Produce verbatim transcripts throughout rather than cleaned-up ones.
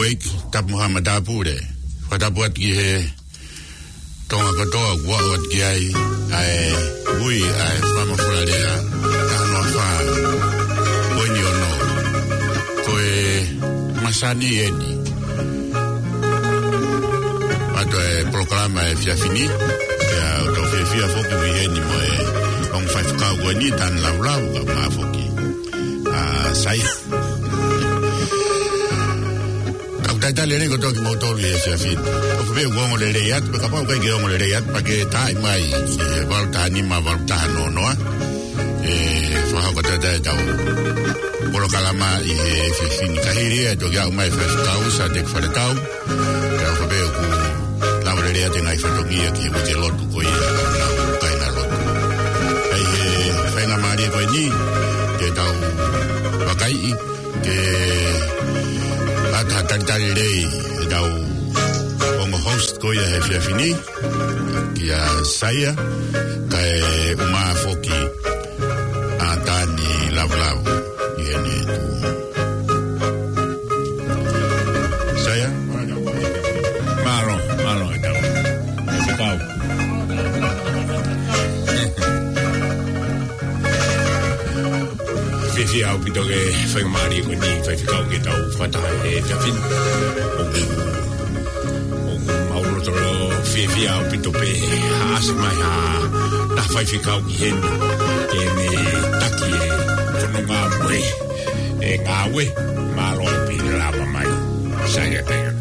Lake, tapu mo haʻa matāpule. Fakatapu atu ki he Tonga kotoa, kuo aʻu atu ki ai ʻa e ui ʻa e Fama Fulalea, taha noa fā, poini ono. Ko e masani eni. ʻOatu e polokalama he efiafi ni, pea ʻoku tau fiefia foki ʻi heni mo e ongo faifekau ko eni, Tani Lavulavu, kae ʻumaʻā foki ʻa Saia. Ka ʻoku talitali lelei kotoa kimoutolu ʻi he efiafi ni. ʻOku pehē kuo ongo lelei atu, pea kapau ʻoku ʻikai ke ongo lelei atu, pea ke taaʻi mai ki he valu taha nima, valu taha noa noa. ʻE fakahoko atu ʻetau polokalama ʻi he efiafi ni. Ka hili ia ʻe toki aʻu mai e faifekau, Sateki Faletau. Pea ʻoku pehē ʻoku lava lelei atu e ngaahi fatongia ki he uike lotu ko ia, ʻa e kāinga lotu. ʻI he faingamālie ko eni, ke tau vakaiʻi, ke ʻoatu ha talitali lelei ʻetau ongo host ko ia he efiafi ni, kia Saia, kae ʻumaʻā foki ʻa Tani Lavulavu ʻi heni. Saia? Mālō, mālō ʻetau faifekau. Fiefia ʻaupito ki he faingamālie ko eni, faifekau, ke tau fakataha he efiafi ni. ʻOku, ʻoku mau loto fiefia ʻaupito pē he ʻasi mai ha taha faifekau ki heni ke ne taki e fononga mo e ngāue. Mālō e pili lava mai. Saia, Saia.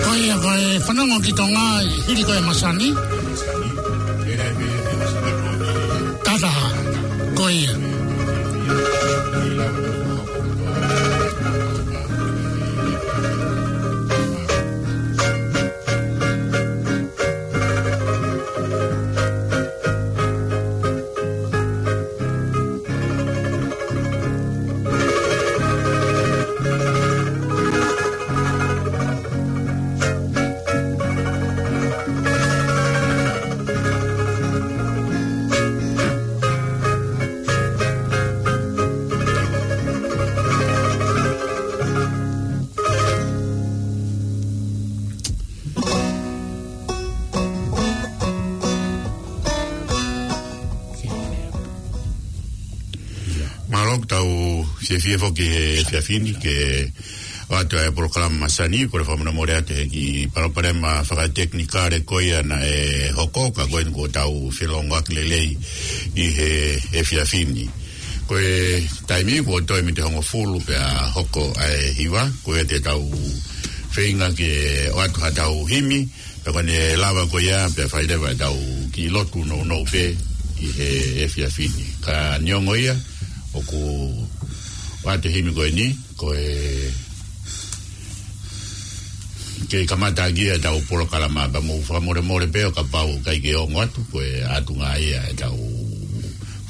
Ko ia ko e fanongo ki Tonga, hili ko e masani. Tata, ko ia. Mālō, ʻoku tau fiefia foki he efiafi ni ke ʻoatu e polokalama masani, kole fakamolemole atu he kiʻi palopalema fakatekinikale ko ia naʻe hoko, ka ko eni kuo tau felōngoaki lelei ʻi he efiafi ni. Ko e taimi kuo toe miniti hongofulu pea hoko ʻa e hiva, ko ia te tau feinga ke ʻoatu haʻatau himi, pea ko ʻene lava ko ia, pea fai leva ʻetau kiʻi lotu nounou pē ʻi he efiafi ni. Ka neongo ia, ʻoku ʻoatu e himi ko eni, ko e kei kamata ʻaki ʻetau polokalama, pea mou fakamolemole pē ʻo kapau ʻoku ʻikai ke ongo atu, ko e ʻatunga ia ʻetau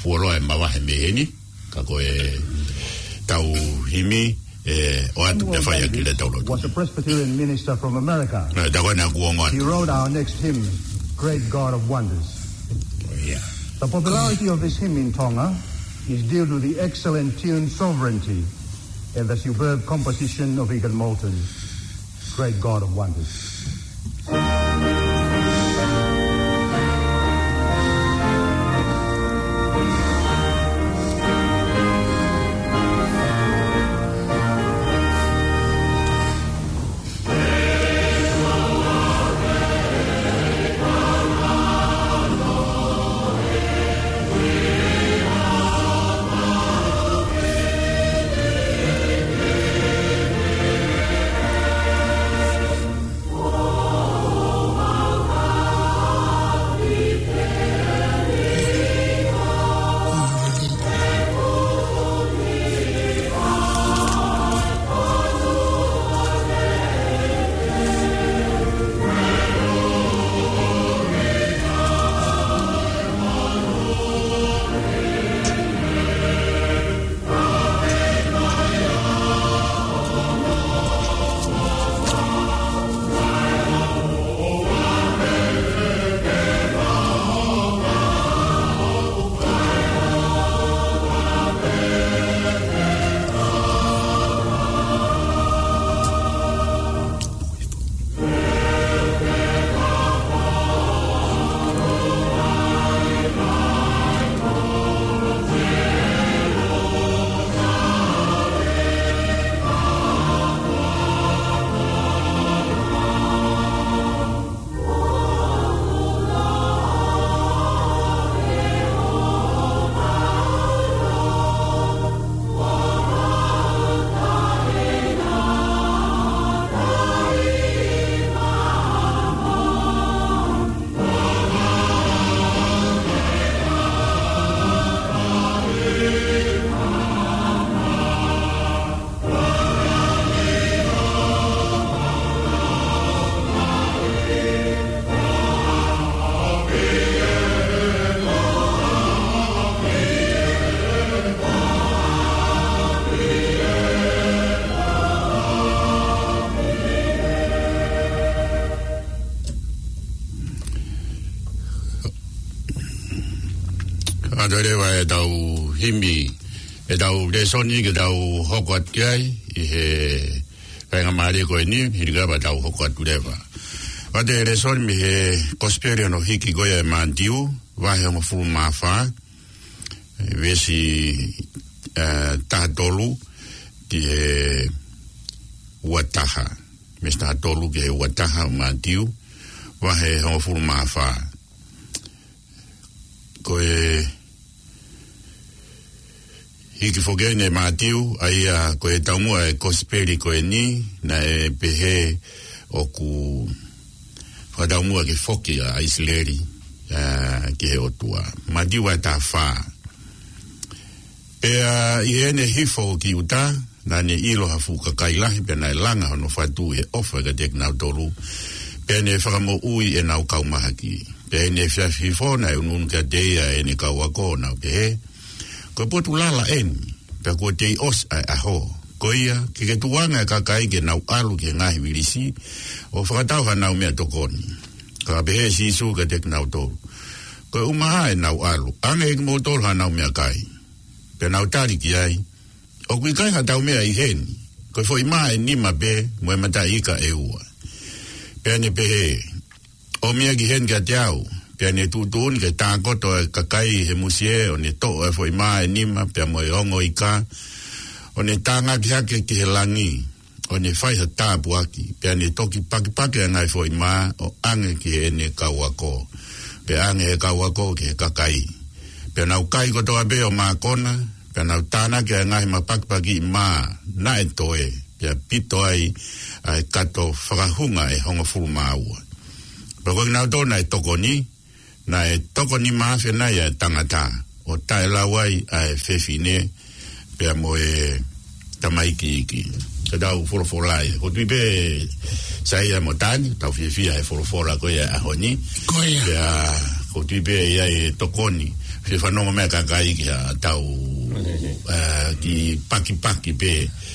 fuoloa ʻe mavahe mei heni, ka ko ʻetau himi, ʻe ʻoatu pea fai ʻaki ʻetau lotu. Was a Presbyterian minister from America. Nā, tā ko ena kuo ongo atu. He wrote our next hymn, Great God of Wonders. Oh, yeah. The popularity of this hymn in Tonga is due to the excellent tune Sovereignty and the superb composition of Egan Moulton, Great God of Wonders. Toe leva ʻetau himi, ʻetau lēsoni ke tau hoko atu ki ai, ʻi he faingamālie ko eni, hili ʻa ia pea tau hoko atu leva. Pea ko e lēsoni mei he Kosipeli hono hiki ko ia ʻe Mātiu, vahe hongofulu mā fā, veesi, ē, taha tolu, ki he ua taha. Veesi taha tolu ki he ua taha ʻo Mātiu, vahe hongofulu mā fā. Ko e hiki foki ʻe Mātiu, ʻa ia ko e taumuʻa ʻo e Kosipeli ko eni, naʻe pehē ʻoku fakataumuʻa ke foki ʻa ʻIsileli, ā, ki he ʻOtua. Mātiu vahe taha fā. Pea ʻi heʻene hifo ki ʻuta, naʻa ne ʻilo ha fuʻu kakai lahi, pea naʻe langa hono fatu ʻi he ʻofa kiate kinautolu, pea ne fakamoʻui ʻenau kau mahaki. Pea ʻi heʻene efiafi hifo, naʻe ʻunuʻunu kiate ia ʻene kau ako, ʻo nau pehē, Ko e potu lala eni, pea kuo tei ʻosi ʻa e ʻaho. Ko ia, ke ke tukuange ʻa e kakai ke nau ʻalu ki he ngaahi vilisi, ʻo fakatau haʻanau meʻatokoni. Ka pehē ʻe Sīsū kiate kinautolu, Ko e ʻumaʻā ʻenau ʻalu, ʻoange ʻe kimoutolu haʻanau meʻakai. Pea nau tali ki ai, ʻOku ʻikai haʻatau meʻa ʻi heni, ko e foʻi mā ʻe nima pē, mo e mataʻi ika ʻe ua. Pea ne pehē, ʻOmi ia ki heni kiate au. Pea ne tuʻutuʻuni ke tākoto ʻa e kakai he musie, ʻo ne toʻo ʻa e foʻi mā ʻe nima, pea mo e ongo ika, ʻo ne tānaki hake ki he langi, ʻo ne fai ha tāpuaki, pea ne toki pakipaki ʻa e ngaahi foʻi mā, ʻo ʻoange ki heʻene kau ako, pea ʻoange ʻe he kau ako ki he kakai. Pea nau kai kotoa pē ʻo mākona, pea nau tānaki ʻa e ngaahi mapakipakiʻi mā naʻe toe, pea pito ai ʻa e kato fakahunga ʻe hongofulu mā ua. Pea ko kinautolu naʻe tokoni, naʻe toko nima afe nai ʻa e tangata, ʻo taʻelau ai ʻa e fefine, pea mo e tamaiki iiki. Ko ʻetau folofola ia. ʻOku ou tui pē Saia mo Tani, tau fiefia he folofola ko ia ʻaho ni. Ko ia. Pea ʻoku ou tui pē ʻe ʻi ai e tokoni, fie fanongo mai ʻa e kakai ki heʻetau, ē, kiʻi pakipaki pē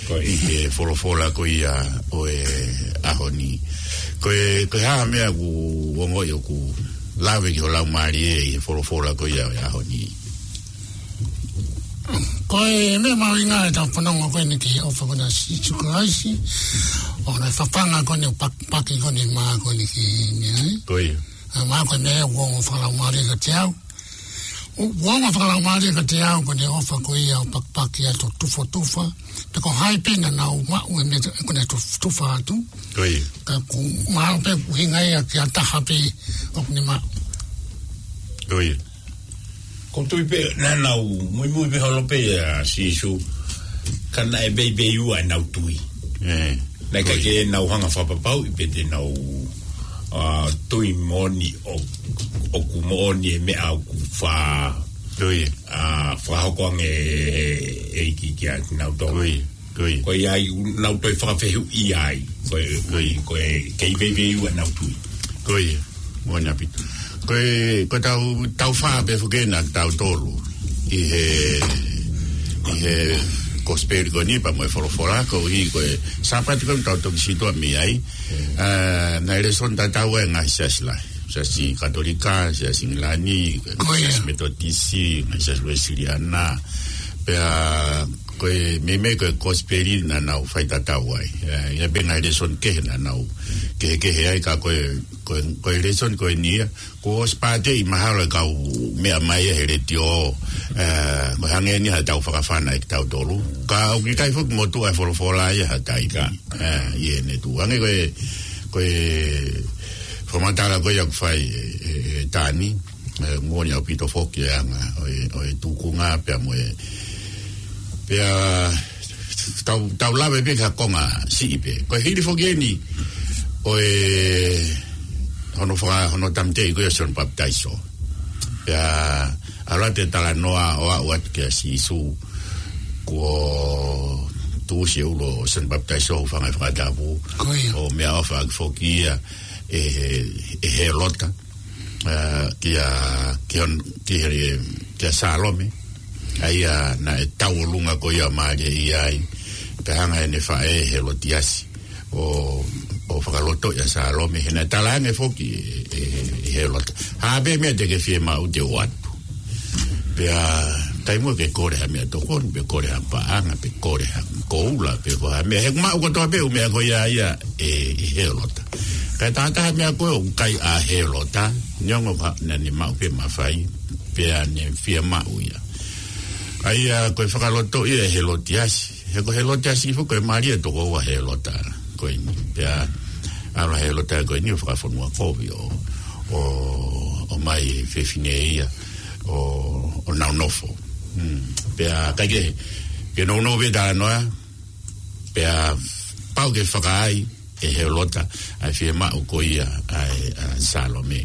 Ko ia. ʻI he folofola ko ia ʻo e ʻaho ni. Ko e, ko e hā ha meʻa ʻoku ongoʻi ʻoku lave ki ho laumālie ʻi he folofola ko ia ʻo e ʻaho ni? Ko e meʻa mahuʻinga ʻetau fanongo ko eni ki he ʻofa ko ena ʻa Sīsū Kalaisi, ʻo ʻene fafanga ko eni ʻo pakipaki ko eni mā ko eni ki he meʻa, ē? Ko ia. ʻA e mā ko eni ʻoku ongo fakalaumālie kiate au. ʻOku ongo fakalaumālie kiate au ko ʻene ʻofa ko ia ʻo pakipaki atu ʻo tufotufa. Pea ko hai pē naʻa nau maʻu e meʻa ko ʻene tufotufa atu. Ko ia. Ka ʻoku mahalo pē ʻoku ʻuhinga ia ki ha taha pē ʻoku ne maʻu. Ko ia. ʻOku ou tui pē naʻa nau muimui pē holo pē ʻia Sīsū, ka naʻe veiveiua ʻenau tui. Ē. Naʻe ʻikai ke nau hanga ʻo fakapapauʻi pe te nau, ā, tui moʻoni ʻo, ʻoku moʻoni e meʻa ʻoku fa-, Ko ia. ā, fakahoko ange ʻe, ʻe he ʻEiki kiate kinautolu. Ko ia. Ko ia. Ko ia ʻoku nau toe fakafehuʻia ai. Ko e, ko e, ko e kei veiveiua ʻenau tui. Ko ia. Moʻoni ʻaupito. Ko e, ko ʻetau, tau fā pē foki ena kitautolu ʻi he, ʻi he Kosipeli ko eni pea mo e folofola, koeʻuhi ko e Sāpate ko eni tau toki sītuʻa mei ai. Mm. Ā, naʻe lēsoni tatau ʻa e ngaahi siasi lahi. Siasi Katolika, Siasi ʻIngilani, Ko ia. Siasi Metotisi, Siasi Uēsiliana. Pea ko e meimei ko e Kosipeli naʻa nau faitatau ai. Ē, ʻi ai pē ngaahi lēsoni kehe naʻa nau kehekehe ai, ka ko e, ko e, ko e lēsoni ko eni ia, kuo ʻosi pāteʻi mahalo ʻe he kau meʻa mai he letiō, ē, ko e hangē ni haʻatau fakafana ʻe kitautolu. Ka ʻoku ʻikai foki motuʻa e folofola ia ha taimi. Ka. Ē, ʻi heʻene tuʻu. Hangē ko e, ko e fakamatala ko ia ʻoku fai ʻe, ʻe, ʻe Tani, ē, moʻoni ʻaupito foki e anga ʻo e, ʻo e tūkunga pea mo e, pea tau, tau lave pē ki ha konga siʻi pē. Ko e hili foki eni ʻo e hono faka-, hono tāmateʻi ko ia ʻo Sione Papitaiso. Pea ʻalu atu e talanoa ʻo aʻu atu kia Sīsū, kuo tuʻusi e ʻulu ʻo Sione Papitaiso, hūfanga he fakatapu. Ko ia. ʻO meʻaʻofa ʻaki foki ia ʻe he, ʻe Hēlota, ā, kia, kia, kia, kia Sālome. ʻA ia naʻe tauʻolunga ko ia ʻo mālieʻia ai. Pea hanga ʻe heʻene faʻē Hēlotiasi ʻo, ʻo fakalotoʻi ʻa Sālome. He naʻe talaange foki ʻe, ʻe, ʻe Hēlota, Hā pē meʻa te ke fiemaʻu te u ʻoatu. Pea, taimi ʻoku ke kole ha meʻatokoni, pe kole ha paʻanga, pe kole ha koula, pe ko ha meʻa, he ʻoku maʻu kotoa pē ʻū meʻa ko ia ia ʻe, ʻe Helota. Kae taha meʻa ko ē ʻoku kai ʻa Helota, neongo ka naʻa ne maʻu pē mafai, pea ne fiemaʻu ia. ʻA ia ko e fakalotoʻi ʻe Helotiasi, he ko Helotiasi foki ko e mālie toko ua Helota ko eni. Pea, ʻalu ʻa Helota ko eni ʻo fakafonua kovi ʻo, ʻo, ʻomai fefine ia, ʻo, ʻo nau nofo. Mm. Pea, kae kehe, ke nounou pē talanoa, pea pau ke fakaai ʻe Helota ʻa e fiemaʻu ko ia ʻa e, ʻa Salome.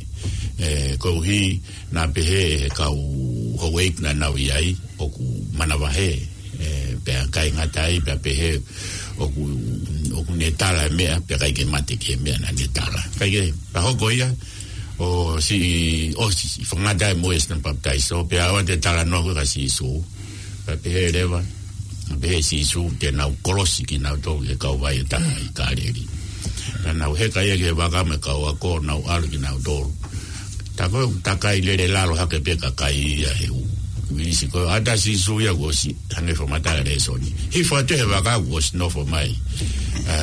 ʻE, koeʻuhi naʻa pehē ʻe he kau houʻeiki naʻa nau ʻi ai ʻoku manavahē, ʻe, pea ʻikai ngata ai, pea pehē ʻoku, ʻoku ne tala e meʻa, pea ʻikai ke mate ki he meʻa naʻa ne tala. Kae kehe, pea hoko ia, ʻo siʻi, ʻosi siʻi fakangata ai mo ʻIoane Papitaiso, pea ʻoua te talanoa ko ē kia Sīsū. Pea pehē leva, pehē ʻe Sīsū te nau kolosi kinautolu he kauvai ʻe taha ʻi Kāleli. Naʻa nau heka ia ki he vaka mo e kau ako, nau ʻalu kinautolu. Tā ko ē, takai lele lalo hake pē kakai ia he ʻū vilisi ko ē. ʻAta Sīsū ia kuo ʻosi hangē fakamatala lēsoni. Hifo atu he vaka kuo ʻosi nofo mai, ē,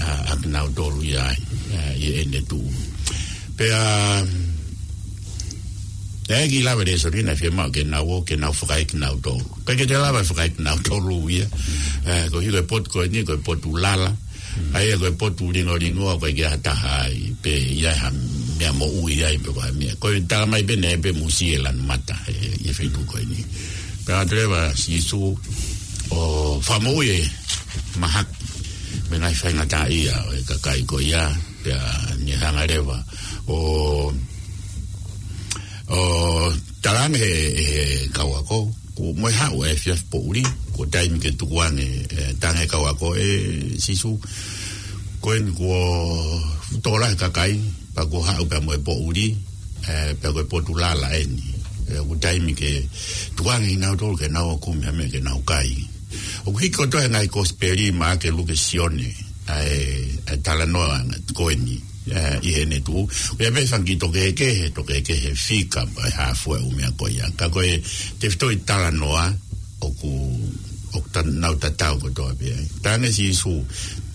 ʻa, ʻa kinautolu ia, ē, ʻi heʻene tuʻu. Pea, ʻe ʻikai lava lēsoni naʻe fiemaʻu ke nau ō, ke nau fakaekinautolu. ʻIkai ke te lava fakaekinautolu ia. Ē, koeʻuhi ko e potu ko eni, ko e potu lala. ʻA ia ko e potu lingolingo, ʻoku ʻikai ke ʻi ai ha taha ai, pe ʻi ai ha meʻa moʻui ai, pe ko ha meʻa. Ko e talamai pē naʻe ʻi ai pē musie lanu mata, ē, ʻi he feituʻu ko eni. Pea ʻalu leva ʻa Sīsū ʻo fakamoʻui e mahaki mo e ngaahi faingataʻaʻia ʻo e kakai ko ia, pea ne hanga leva ʻo, ʻo talaange ʻe he, ʻe he kau ako, kuo mole haʻu e efiafi poʻuli, kuo taimi ke tukuange, ē, talaange ʻe he kau ako, ʻe Sīsū, ko eni kuo tō lahi e kakai, pea kuo haʻu pea mo e poʻuli, ē, pea ko e potu lala eni. Ē, kuo taimi ke tukuange kinautolu ke nau ō ʻo kumi ha meʻa ke nau kai. ʻOku hiki kotoa he ngaahi kosipeli, Maʻake, Luke, Sione, ʻa e, ʻa e talanoa ko eni, ē, ʻi heʻene tuʻu. ʻOku ʻi ai pē fanga kiʻi tō kehekehe, tō kehekehe fika, pe hā fua e ʻū meʻa ko ia. Ka ko e tefitoʻi talanoa, ʻoku, ʻoku ta-, nau tatau kotoa pē ai. Talaange ʻe Sīsū,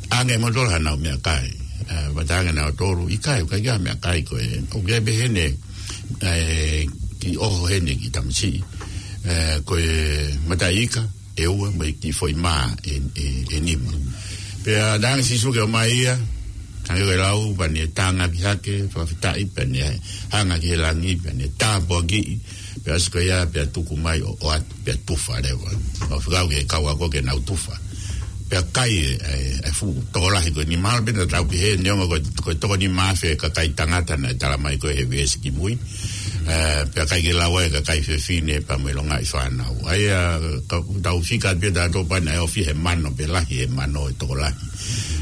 ʻoange mautolu haʻanau meʻakai. Ē, pea talaange ʻe nautolu, ʻikai, ʻoku ʻikai ha meʻakai ko ē. ʻOku ʻi ai pē heni, ē, kiʻi ʻoho heni kiʻi tamasiʻi. Ē, ko e mataʻi ika ʻe ua mo e kiʻi foʻi mā ʻe, ʻe, ʻe nima. Pea talaange ʻe Sīsū ke ʻomai ia, hangē ko e lau, pea ne tangaki hake, fakafetaʻi, pea ne hanga ki he langi, pea ne tāpuakiʻi, pea ʻosi ko ia, pea tuku mai ʻo, ʻoatu, pea tufa leva. ʻO fekau ki he kau ako ke nau tufa. Pea kai e, e, e fuʻu tokolahi ko eni, mahalo pē naʻa tau pehē, neongo ko, ko e toko nima afe e kakai tangata naʻe talamai ko ē he veesi kimui. Ē, pea ʻikai ke lava e kakai fefine pea mo e longaʻi fānau. ʻA ia, ka tau fika pē tautolu pea naʻe ofi he mano pe lahi he mano e tokolahi.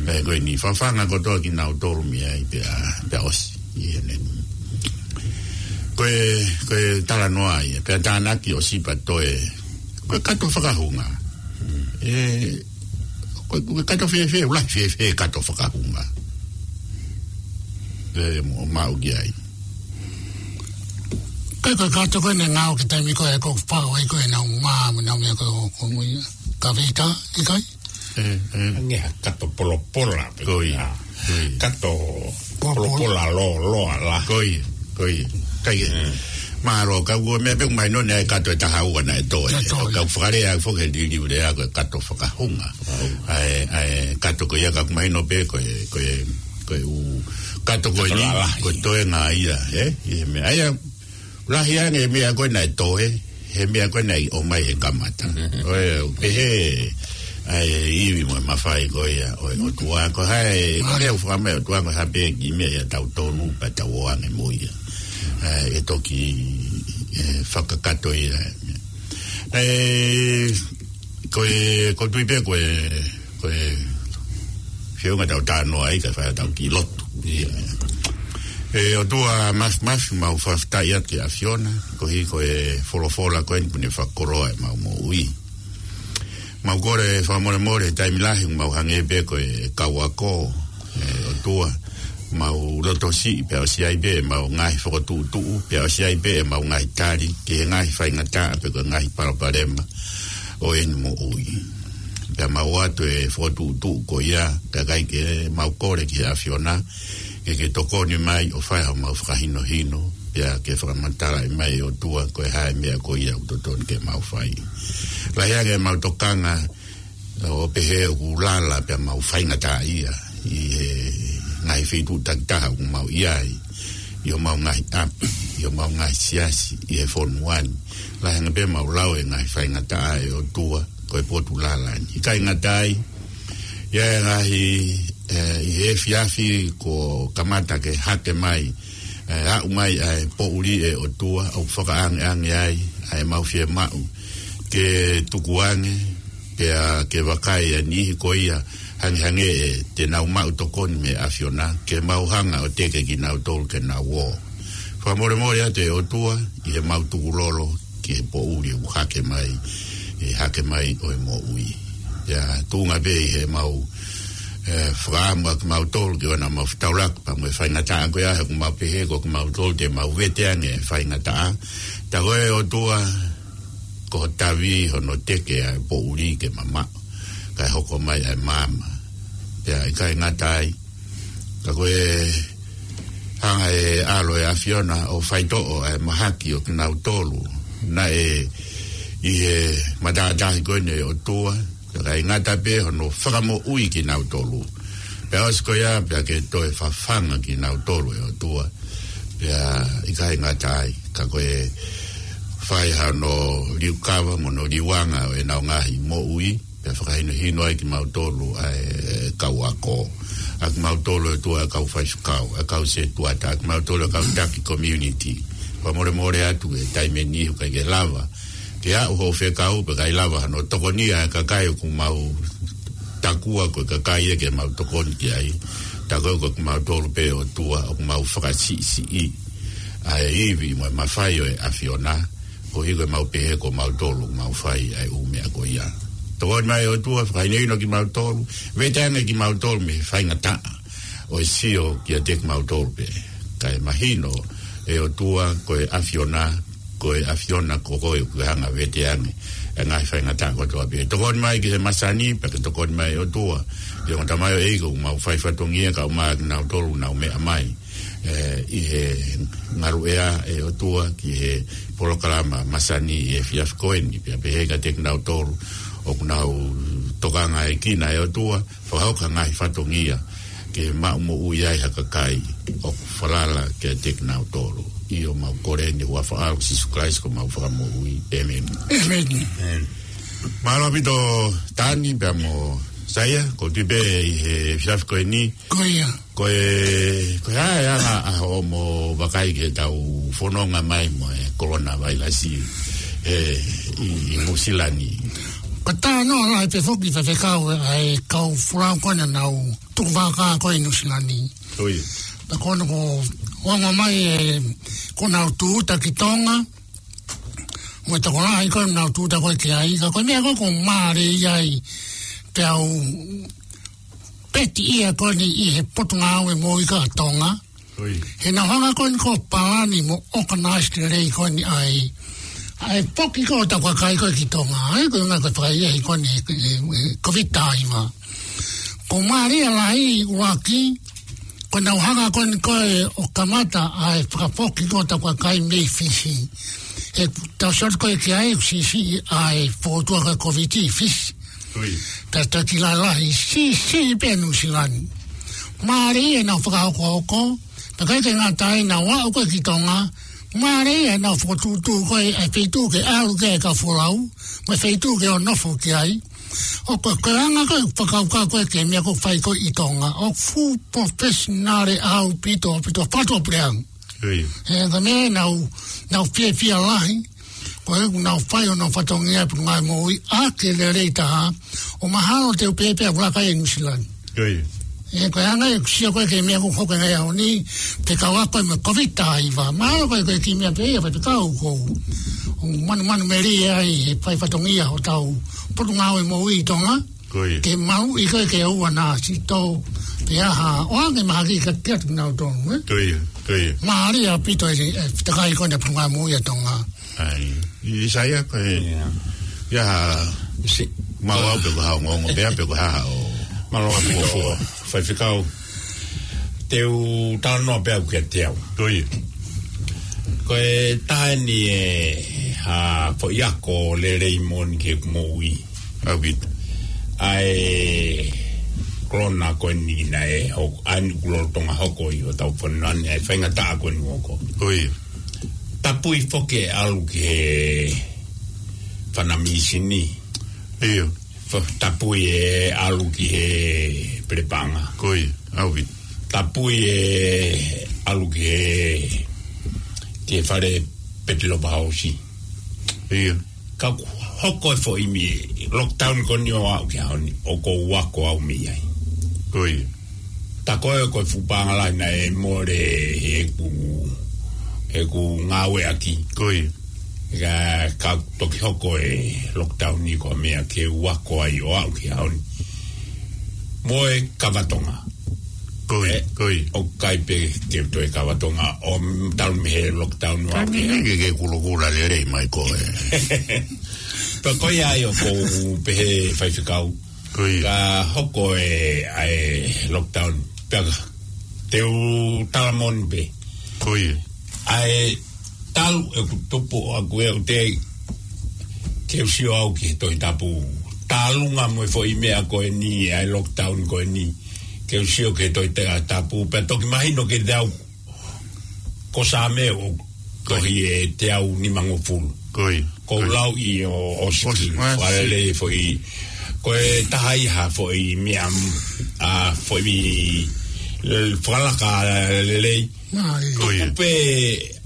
Ē, ko eni fafanga kotoa kinautolu mei ai pea, pea ʻosi ʻi heʻene. Ko e, ko e talanoa ia, pea tānaki ʻosi pea toe. Ko e kato fakahunga. Ē, ko e, ko e kato fēfē, ʻoku lahi fēfē e kato fakahunga. Ē, mo maʻu ki ai. Ko e, ko e kato ko ē naʻe ngāueʻaki he taimi ko ē ʻoku pau ai ko ē ʻenau mā, mo ʻenau meʻa ko ē ʻoku mui. Ka feita, ʻikai? Ē, ē. Hangē ha kato polopola, pe ko ia. Ko ia. Kato polopola lōloa la. Ko ia, ko ia. Kai e. Ē. Mālō, ka ʻoku ou meʻa pē ʻoku mahino naʻe kato ʻe taha ua naʻe toe. Naʻe toe. Ka ʻoku fakalea foki he liliu lea ko e kato fakahunga. ʻA e, ʻa e kato ko ia ka ʻoku mahino pē ko e, ko e, ko e ʻū kato ko eni, kato lalahi. Ko e toenga ia, ē? ʻI he meʻa. ʻA ia, lahi ange e meʻa ko ē naʻe toe, he meʻa ko ē naʻe ʻomai he kamata. ʻOku pehē ʻa e ivi mo e mafai ko ia ʻo e ʻOtua, ko hai, ko e lea ʻoku fakamai ʻOtua, ko ha pē kiʻi meʻa ia tau tonu pea tau ō ange mo ia. ʻE, ʻe toki, ʻe, fakakakato ia. ʻE, ko e, ʻoku ou tui pē ko e, ko e feʻunga tau talanoa ai, kae fai ʻetau kiʻi lotu. ʻIo. ʻE ʻOtua Māfimafi, mau fakafetaʻi atu ki he ʻAfiona, koeʻuhi ko e folofola ko eni kuo ne fakakoloa ʻemau moʻui. Mau kole fakamolemole he taimi lahi ʻoku mau hangē pē ko e kau ako, ʻe ʻOtua. mau loto siʻi pea ʻosi ai pē ʻemau ngaahi fokotuʻutuʻu, pea ʻosi ai pē ʻemau ngaahi tali ki he ngaahi faingataʻa pe ko e ngaahi palopalema ʻo ʻene moʻui. Pea mau ʻoatu e fokotuʻutuʻu ko ia, kae ʻikai ke mau kole ki he ʻAfiona ke ke tokoni mai ʻo fai haʻamau fakahinohino, pea ke fakamatalaʻi mai ʻe ʻOtua ko e hā e meʻa ko ia ʻoku totonu ke mau fai. Lahi ange ʻemau tokanga ʻo pehē ʻoku lala pea mau faingataʻaʻia ʻi he ngaahi feituʻu takitaha ʻoku mau ʻi ai, ʻi homau ngaahi ʻapi, ʻi homau ngaahi siasi, ʻi he fonua ni. Lahi ange pē ʻemau lau e ngaahi faingataʻa, ʻe ʻOtua, ko e potu lala ni. ʻIkai ngata ai, ʻi he ngaahi, ē, ʻi he efiafi kuo kamata ke hake mai, ē, aʻu mai ʻa e poʻuli, ʻe ʻOtua, ʻoku fakaangeange ai ʻa ʻemau fiemaʻu ke tukuange, pea ke vakai ʻa e niʻihi ko ia hangehangē ʻe te nau maʻu tokoni mei he ʻAfiona, ke mau hanga ʻo teke kinautolu ke nau ō. Fakamolemole atu, ʻe ʻOtua, ʻi heʻemau tukulolo ki he poʻuli ʻoku hake mai, ʻe hake mai ʻo e moʻui. Pea tuʻunga pē ʻi heʻemau, ē, fakaʻamu ʻa kimautolu ke ʻoua naʻa mau fetaulaki pea mo e faingataʻa ko ia, he ʻoku mau pehē ko kimautolu te mau vete ange e faingataʻa. Tā ko e, ʻe ʻOtua, ko ho tavi hono teke ʻa e poʻuli ke mamaʻo, kae hoko mai ʻa e maama. Pea ʻikai ngata ai, ka ko e hanga ʻe he ʻAlo ʻo e ʻAfiona ʻo faitoʻo ʻa e mahaki ʻo kinautolu naʻe ʻi he matātahi ko eni, ʻe ʻOtua, pea ʻikai ngata pē hono fakamoʻui kinautolu. Pea ʻosi ko ia, pea ke toe fafanga kinautolu, ʻe ʻOtua. Pea ʻikai ngata ai, ka ko e fai hano liukava mo hono liuanga ʻo ʻenau ngaahi moʻui, pea fakahinohino ai kimautolu ʻa e kau ako, ʻa kimautolu, ʻe ʻOtua, ʻa e kau faifekau, ʻa e kau setuata, ʻa kimautolu, ʻa e kau taki community. Fakamolemole atu he taimi ni ʻoku ʻikai ke lava ke aʻu hoʻo fekau, pea ʻikai lava hano tokonia e kakai ʻoku mau takua ko e kakai ia ke mau tokoni ki ai. Tā ko e, ko kimautolu pē, ʻe ʻOtua, ʻoku mau fakasiʻisiʻi ʻa e ivi mo e mafai ʻo e ʻAfiona, koeʻuhi ko ʻemau pehē ko mautolu ʻoku mau fai ʻa e ʻū meʻa ko ia. Tokoni mai, ʻe ʻOtua, fakahinohino kimautolu, vete ange kimautolu mei he faingataʻa ʻo e sio kiate kimautolu pē, kae mahino, ʻe ʻOtua, ko e ʻAfiona, ko e ʻAfiona ko koe ʻoku ke hanga ʻo vete ange e ngaahi faingataʻa kotoa pē. Tokoni mai ki he masani, pea ke tokoni mai, ʻe ʻOtua, ki he ongo tamaioʻeiki ʻoku mau fai fatongia, kae ʻumaʻā kinautolu ʻoku nau meʻa mai, ē, ʻi he ngaluʻea, ʻe ʻOtua, ki he polokalama masani ʻi he efiafi ko eni, pea pehē kiate kinautolu ʻoku nau tokangaekina, ʻe ʻOtua, fakahoko ha ngaahi fatongia ke maʻu moʻui ai ha kakai ʻoku falala kiate kinautolu. ʻIo, mau kole ʻeni he huafa ʻo Sīsū Kalaisi ko homau Fakamoʻui. ʻĒmeni. ʻĒmeni. ʻĒmeni. Mālō ʻaupito Tani pea mo Saia, ko e tuʻi pē ʻi he efiafi ko eni. Ko ia. Ko e, ko e hā e anga ʻa hoʻomo vakai ki heʻetau fononga mai mo e kolona vailasi, ē, ʻi, ʻi Nuʻusila ni? Ko e talanoa lahi pē foki, faifekau, ʻa e kau folau ko ena naʻa nau tukuvakā ko ē ʻi Nuʻusila ni. ʻIo. Pea ko ena kuo ongo mai ē, kuo nau tūʻuta ki Tonga, mo e tokolahi ko ē naʻa nau tūʻuta ko ē ki ai, ka ko e meʻa ko ē ʻoku mālie ai, pea u peti ia ko eni ʻi he Potungāue Moʻui ʻa Tonga. ʻIo. He naʻa nau hanga ko eni ʻo palani mo ʻokanaiso lelei ko eni ʻa e, ʻa e foki ko ē ʻo hotau kakai ko ē ki Tonga, ʻa ia ko e ngaahi ko e fakaʻehiʻehi ko eni he, he, he Kōviti taha hiva. Ko e mālie lahi ʻuluaki, ko ʻenau hanga ko eni ko ē ʻo kamata ʻa e fakafoki ko ē ʻo hotau kakai mei Fisi. He tau sio atu ko ē ki ai, ʻoku siʻisiʻi ʻa e fōtunga ko ē Kōviti ʻi Fisi. ʻIo. Pea taki lalahi, siʻisiʻi pē Nuʻusila ni. Mālie ʻenau fakahokohoko, pea ʻikai ke ngata ai, naʻa nau aʻu ko ē ki Tonga, mālie ʻenau fokotuʻutuʻu ko ē ʻa e feituʻu ke ʻalu ki ai e kau folau, mo e feituʻu ke ō ʻo nofo ki ai. ʻOku, ko e anga ko ē fakakaukau ko ē ki he meʻa ʻoku fai ko ē ʻi Tonga, ʻoku full professional ʻaupito, ʻaupito, fakatuʻapuleʻanga. ʻIo. He ko e meʻa naʻa nau, nau fiefia lahi, ko ʻenau fai honau fatongia Potungāue Moʻui ʻaki e lelei taha, ʻo mahalo te u pehē pē ʻoku laka ia ʻi Nuʻusila ni. ʻIo. Ē, ko e anga ʻeku sio ko ē ki he meʻa ʻoku hoko he ngaahi ʻaho ni, fekauʻaki mo e Kōviti taha hiva. Mahalo ko e, ko e kiʻi meʻa pē ia, faifekau, ʻoku ou, ʻoku ou manumanumelie ai he fai fatongia hotau Potungāue Moʻui ʻi Tonga. ʻIo. Ke maʻu ʻi ko ē ke ʻoua naʻa siʻi tō Ia ha, ʻoange mahaki ka kia tu nau tonu, eh? Ko ia, ko ia. Mālie ʻaupito e, e, takai ko ena punga mo ia Tonga. ʻAi, ʻIsaia ko e, Ia. ia ha, Si. mau au pe ko ha ongoongo, pea pe ko ha o. Mālō ʻaupito. Fuofua. Faifekau. Te u talanoa pē au kiate au. Ko ia. Ko e taha eni e, ha, foʻi ako lelei moʻoni ki heʻeku moʻui. ʻAupito. ʻA e kolona ko eni naʻe hoko, ʻa eni ʻoku lolotonga hoko ʻi hotau fonua ni, ʻa e faingataʻa ko eni ʻoku hoko. Ko ia. Tapui foki e ʻalu ki he fana mīsini. Ia. Fa-, tapui e ʻalu ki he pelepanga. Ko ia, ʻaupito. Tapui e ʻalu ki he, ki he fale petelopahausi. Ia. Ka ʻoku hoko e foʻi meʻa, lockdown ko eni ʻo aʻu ki he ʻaho ni, ʻoku ou ako au mei ai. Ko ia. Tā ko ē ko e fuʻu paʻanga lahi naʻe mole heʻeku, heʻeku ngāueʻaki. Ko ia. Ka, ka toki hoko e lockdown ni ko e meʻa ke u ako ai ʻo aʻu ki he ʻaho ni. Mo e kava Tonga. Ko ia, Eh, ko ia. ʻOku ʻikai pē ke u toe kava Tonga ʻo m-, talu mei he lockdown ʻo aʻu ki he Taimi ni ke ke kulokula lelei mai ko e. Pea ko ia ai ʻoku ou pehē faifekau. Ko ia. Ka hoko e, ʻa e lockdown. Pea ka, te u tala moʻoni pē. Ko ia. ʻA e talu ʻeku tupu ʻaku ʻe u te ke u sio au ki he Tohi Tapu. Tālunga mo e foʻi meʻa ko eni, ʻa e lockdown ko eni. Ke u sio ki he Tohi Ta-, Tapu. Pea toki mahino kiate au ko Saame ʻoku tohi e teau nimangofulu. Ko ia. Ko Ko ia. lau ʻi ʻo, ʻo Siki, ʻO, ʻa, fakalele si. foʻi, ko e taha ia ha foʻi meʻa, ʻa, foʻi, le-, fakalaka lelei. Mai. Ko ia. Ko pe,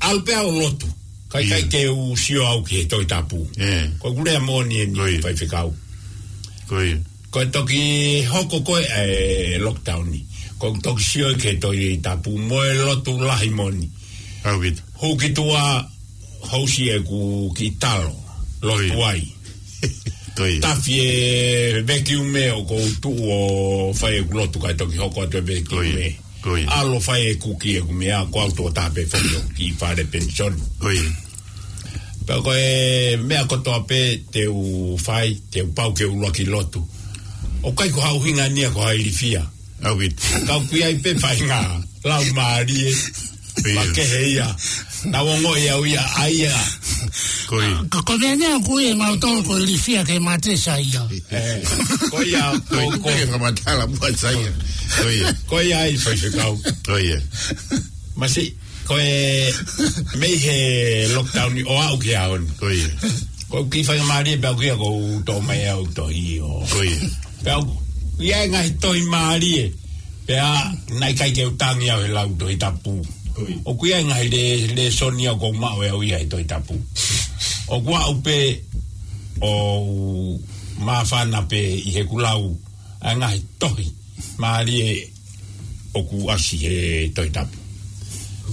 ʻalu pē au ʻo lotu. Kai kai Ia. ke u sio au ki he Tohi Tapu. ʻE. Ko ʻeku lea moʻoni eni Ko ia. faifekau. Ko ia. Ko e toki hoko ko ē e lockdown ni. Ko e toki sio ki he Tohi Tapu mo e lotu lahi moʻoni. ʻAupito. Hū ki tuʻa housi ʻeku kiʻi talo. Lotu Ko ia. ai. Ko ia. Tafi e vekiume ʻoku ou tuʻu ʻo fai ʻeku lotu kae toki hoko atu e Ko ia. vekiume. Ko ia. ʻAlu ʻo fai e kuki ʻeku meʻa, ko au tokotaha pē foki ʻoku kiʻi fale penisoni. Ko ia. Pea ko e meʻa kotoa pē te u fai, te u pau ke u ʻuluaki lotu. ʻOku ʻikai ko ha ʻuhinga ia ko ha ilifia. ʻAupito. Ka ʻoku ʻi ai pē faʻahinga laumālie. Ko ia. Makehe ia. Naʻa ku ongoʻi au ia, ʻa ia. Ko ia. Ka ko e meʻa ʻoku ʻi ai mautolu ko e ilifia ke mate Saia. ʻE, ko ia, Ko ia, ko, ko ko. e fakamatala muʻa Saia. Ko ia. Ko ia ai faifekau. Ko ia. Masi, ko e mei he lockdown ni ʻo aʻu ki he ʻaho ni. Ko ia. Ko e kiʻi faingamālie pē ʻaku ia ko u toʻo mai au tohi ʻo. Ko ia. Pea ʻoku ʻi ai e ngaahi tohi mālie. Pea naʻe ʻikai ke u tangi au he lau Tohi Tapu. Ko ia. ʻOku ʻi ai e ngaahi le-, lēsoni ʻoku ou maʻu ʻe au ia he Tohi Tapu. ʻOku ou pē ʻo māfana pē ʻi heʻeku lau ʻa e ngaahi tohi mālie ʻoku ʻasi he Tohi Tapu.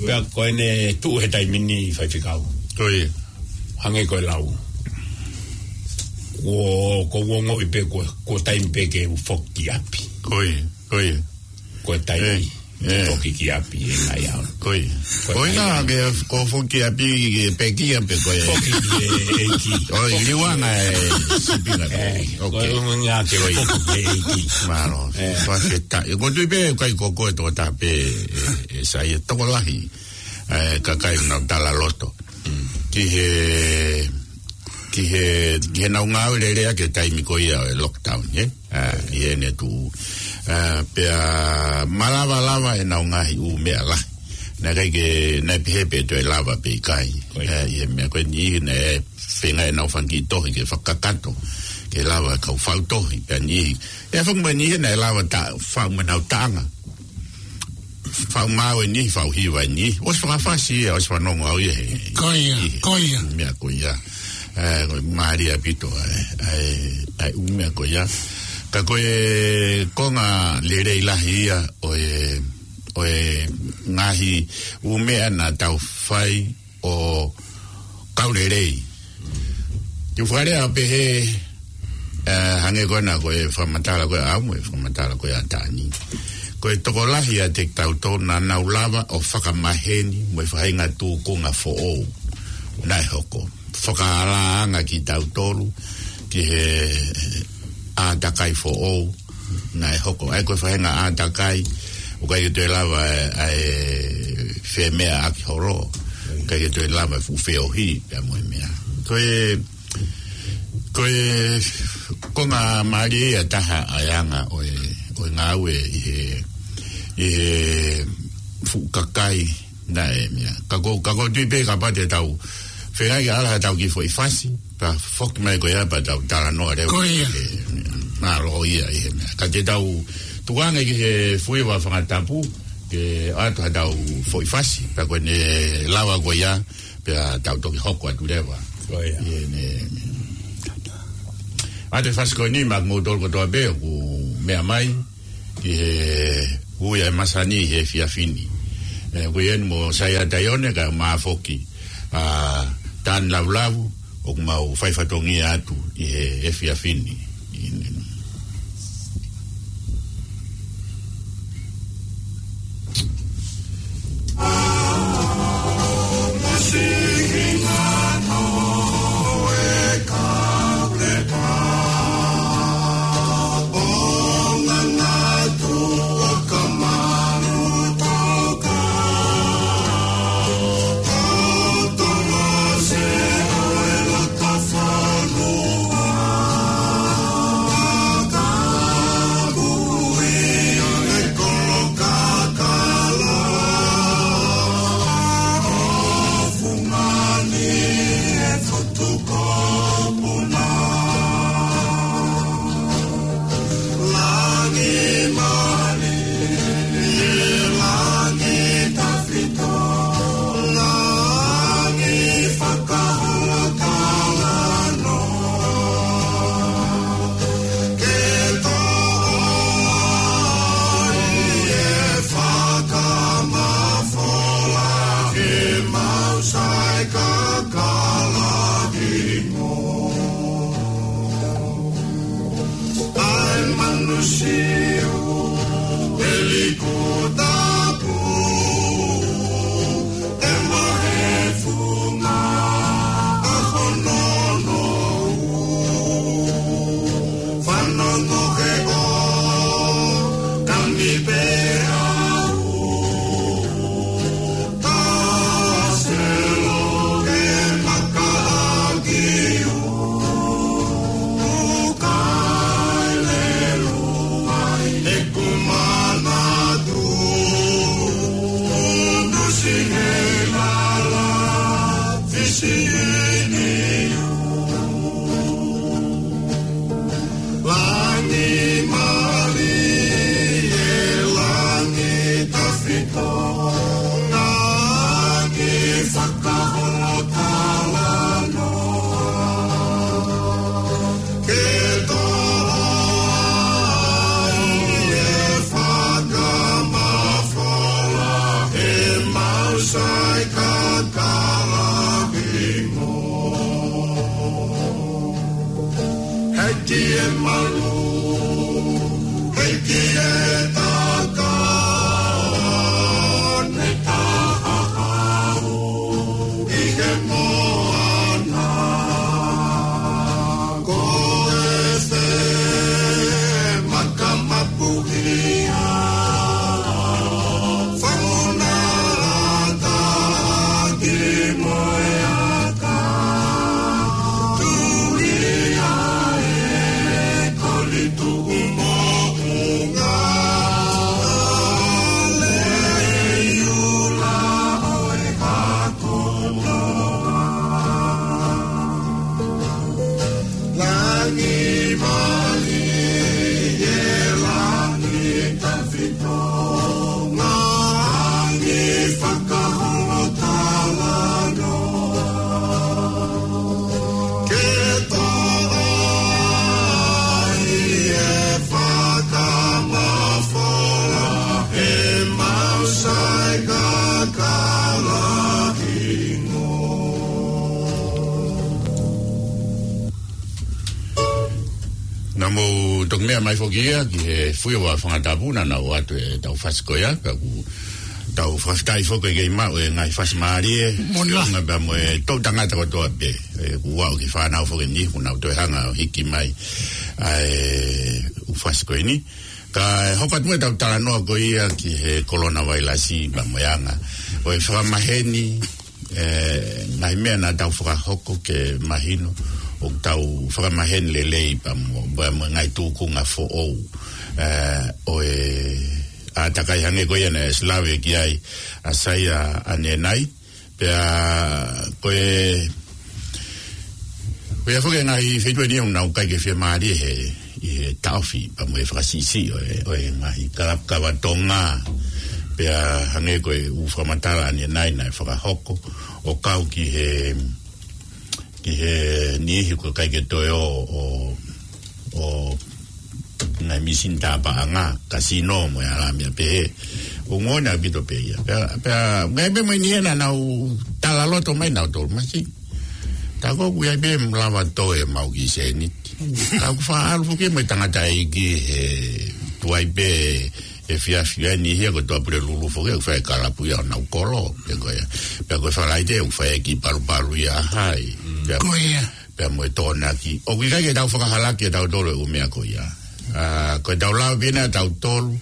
Pea ko ʻene tuʻu he taimi ni faifekau. Ko ia. Hangē ko e lau. Ko, ko u ongoʻi pē ko, ko e taimi pē ke u foki ki ʻapi. Ko ia, ko ia. Ko e taimi ʻE, ʻe. foki ki ʻapi ʻi he ngaahi ʻaho. Ko ia. Ko e Ko ia taimi ke ko foki ki ʻapi ke pekia pe ko e. Foki ki he ʻEiki. ʻOi, liuanga e sipinga. ʻE, ʻOke. ko e ʻuhinga ke Ko ia. foki ki he ʻEiki. Mālō. ʻE. Fakafetaʻi. Ko tui pē kai ko ko e tokotaha pē ʻe, ʻe Saia tokolahi. ʻE, kakai nau tala loto. Mm. Ki he, ki he, ki he nau ngāue lelei ʻaki e taimi ko ia ʻo e lockdown, ʻe? ʻA, ʻi heʻene tuʻu. ʻA, pea malava lava ʻenau ngaahi ʻū meʻa lahi. Naʻe ʻikai ke, naʻe pehē pē toe lava pe ʻikai. Ko ia. ʻA, ʻi he meʻa ko eni naʻe feinga ʻenau fanga kiʻi tohi ke fakakakato. Ke lava kau fau tohi, pea niʻihi. ʻE fanga mai niʻihi naʻe lava ta, fau mo ʻenau taʻanga. Fau maau eni, fau hiva eni. ʻOsi fakafasi ia, ʻosi fanongo au ia he. Ko ia, ʻi he ko ia. meʻa ko ia. ʻE, ko e mālie ʻaupito, ʻe, ʻe, ʻe, ʻū meʻa ko ia. Ka ko e konga lelei lahi ia ʻo e, ʻo e ngaahi ʻū meʻa naʻa tau fai ʻo kau lelei. Te u fakalea pehē, ʻe, hangē ko ena ko e fakamatala ko ē ʻamu, e fakamatala ko ē ʻa Tani. Ko e tokolahi ʻiate kitautolu naʻa nau lava ʻo fakamaheni mo e faʻahinga tūkunga foʻou naʻe hoko. Fakaalaanga kitautolu ki he ʻātakai foʻou naʻe hoko. ʻA ia ko e faʻahinga ʻātakai, ʻoku ʻikai ke toe lava ʻa e, ʻa e femeʻaʻaki holo. ʻIkai ke toe lava e fuʻu feohi pea mo e meʻa. Ko e Ko e, ko e ngaahi mālie ia taha ʻa e anga ʻo e, ʻo e ngāue ʻi he, ʻi he fuʻu kakai naʻe meʻa. Ka ko, ka ko tui pē ka pate tau. Fengai ke ala tau ki foʻi fasi, pea foki mai ko ia pea tau talanoa leva. Ko ia. ʻE, mālō ia ʻi he meʻa. Ka te tau tuku ange ki he fuiva fakatapu, ke ʻoatu ha tau foʻi fasi, pea ko ʻene lava ko ia, pea tau toki hoko atu leva. Ko ia. ʻI heʻene. ʻA e fasi ko eni maʻa kimoutolu kotoa pē ʻoku meʻa mai ki he ui ʻa e masani he efiafi ni. ʻE, ko ia ni mo Saia Taione kae ʻumaʻā foki ʻa Tani Lavulavua ʻoku mau fai fatongia atu ʻi he efiafi ni. Heki e malu, heki e taka, ne taha hau ʻi he moana. Ko e se maka mapuhi a Fauna ata ki moe aka, tuli ai e koli tuʻu moʻunga, le iula ʻo e hakonoa. Langi mali e langi tafito, langi fakaholo talanoa. Ke toʻo ai e fakamafola, he mau sai kakala hingoa. Naʻa mou toki meʻa mai foki ia ki he fui ʻo e fanga tapu naʻa nau ʻoatu ʻetau fasi ko ia, pea ʻoku tau fakafetaʻi foki ʻi he kei maʻu e ngaahi fasi mālie, Mona. Feʻunga pea mo e toʻutangata kotoa pē, ē, kuo aʻu ki he fānau foki eni, kuo nau toe hanga ʻo hiki mai ʻa e ʻū fasi ko eni. Kae hoko atu mo ʻetau talanoa ko ia ki he kolona vailasi pea mo e anga ʻo e fakamaheni, ē, ngaahi meʻa naʻa tau fakahoko ke mahino ʻoku tau fakamaheni lelei pea mo, pea mo e ngaahi tūkunga foʻou, ē, ʻo e ʻātakai hangē ko ia naʻe ʻosi lave ki ai ʻa Saia ʻanenai. Pea ko e, ko ia foki e ngaahi feituʻu eni ʻoku nau ʻikai ke fiemālie he, ʻi he taʻofi pea mo e fakasiʻisiʻi ʻo e, ʻo e ngaahi kalapu kava Tonga. Pea hangē ko e ʻū fakamatala ʻanenai naʻe fakahoko ʻo kau ki he, ki he niʻihi ʻoku ʻikai ke toe ō ʻo, ʻo ngaahi mīsini tāpaʻanga, kasino mo e ʻalā meʻa pehē. ʻOku ongo ʻaupito pē ia. Pea, pea, ngaahi pē mo e niʻihi naʻa nau talaloto mai nautolu masi. Tā ko ʻoku ʻi ai pē mo lava toe mau ki sēniti. Ka ʻoku faʻa ʻalu foki mo e tangataʻeiki he tuai pē he efiafi ʻa e niʻihi ia ko Tuʻapulelulu foki ʻoku fai e kalapu ia ʻo nau kolo. Pea ko ia. Pea ko e Falaite ʻoku fai e kiʻi palupalu ia hai. Pea Ko ia. pea mo e Tokonaki. ʻOku ʻikai ke tau fakahalaki ʻe tautolu e ʻū meʻa ko ia. ʻA, ko ʻetau lava pē ʻe tautolu,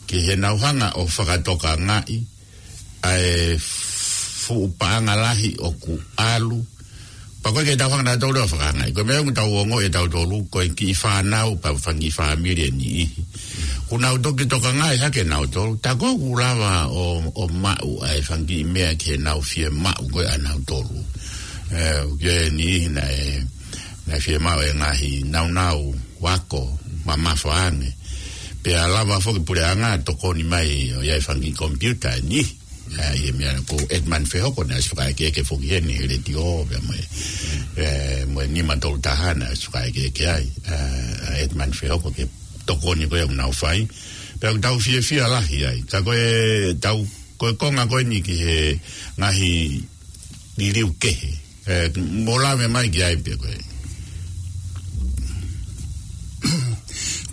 ke nau hanga ʻo fakatokangaʻi ʻa e fuʻu paʻanga lahi ʻoku ʻalu. Pea ʻoku ʻikai ke tau hanga ʻe tautolu ʻo fakahangaʻi. Ko e meʻa ʻoku tau ongoʻi ʻe tautolu, ko e kiʻi fānau, pea fanga kiʻi fāmili ʻe niʻihi. ʻOku nau toki tokangaʻi hake nautolu, tā ko ʻoku lava ʻo, ʻo maʻu ʻa e fanga kiʻi meʻa ke nau fiemaʻu ko ē ʻa nautolu. Ē, ʻoku ʻi ai e niʻihi naʻe, naʻe fiemaʻu e ngaahi nāunau ako mamafa ange. Pea lava foki puleʻanga tokoni mai ʻo ʻi ai e fanga kiʻi komipiuta ʻe niʻihi. Ē, ʻi he meʻa ko Edmund Fehoko naʻe ʻosi fakaʻekeʻeke foki heni he letiō, pea mo e, ē, mo e nima tolu taha naʻe ʻosi fakaʻekeʻeke ai, ē, ʻa Edmund Fehoko ke tokoni ko ē ʻoku nau fai. Pea ʻoku tau fiefia lahi ai. Ka ko ʻetau, ko e konga ko eni ki he ngaahi liliu kehe. Ē, mou lave mai ki ai pē ko ē.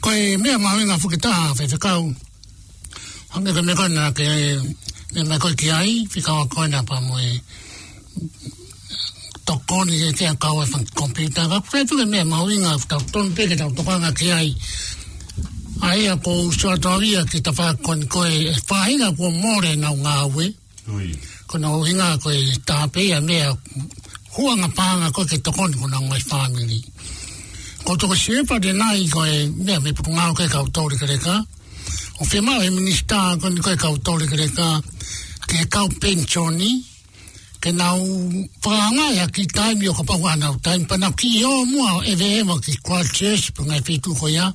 Ko e meʻa mahuʻinga foki taha, Faifekau. Hangē ko e meʻa ko ē naʻa ke meʻa mai ko ē ki ai, fika wa ko ē naʻa pea mo e tokoni ke ke kau e fanga komipiuta. Ka ko e foʻi meʻa mahuʻinga ʻoku tau tonu pē ke tau tokanga ki ai. ʻA ia ko u sio atu au ia ki he tafaʻaki ko eni ko e faʻahinga kuo mole ʻenau ngāue. Ui. Ko hono ʻuhinga ko e taha pē ia meʻa huanga paʻanga ko ē ke tokoni ki honau ngaahi fāmili. Ko e tokosiʻi pātena ia ko e meʻa mei he Potungāue ko ē Kau Toulekeleka. ʻOku fiemaʻu ʻe he minisitā ko eni ko ē Kau Toulekeleka, ki he kau penisoni, ke nau fakahangaʻi ha kiʻi taimi ʻo kapau ʻoku ʻi ai haʻanau taimi, pea nau kiʻi ō muʻa ʻo ʻeveʻeva ki Christchurch pe ngaahi feituʻu ko ia,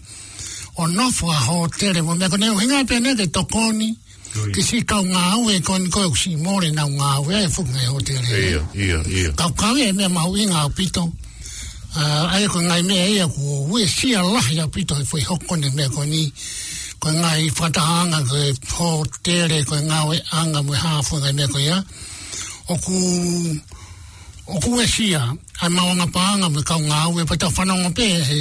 ʻo nofo ʻi ha hōtele mo e meʻa ko eni, ʻuhinga pē eni ke tokoni, Ui. ki he siʻi kau ngāue ko eni ko ē ʻoku siʻi mole ʻenau ngāue ʻi he fuʻu ngaahi hōtele. ʻIo, ʻio, ʻio. Ka ʻoku ʻi ai e meʻa mahuʻinga ʻaupito. ʻA, ʻa ia ko e ngaahi meʻa ia kuo uesia lahi ʻaupito he foʻi hoko eni e meʻa ko eni. Ko e ngaahi fakatahaʻanga ko e hōtele, ko e ngāueʻanga mo e hā fua e ngaahi meʻa ko ia. ʻOku, ʻoku uesia ʻa e maʻuʻanga paʻanga mo e kau ngāue, pea tau fanongo pē he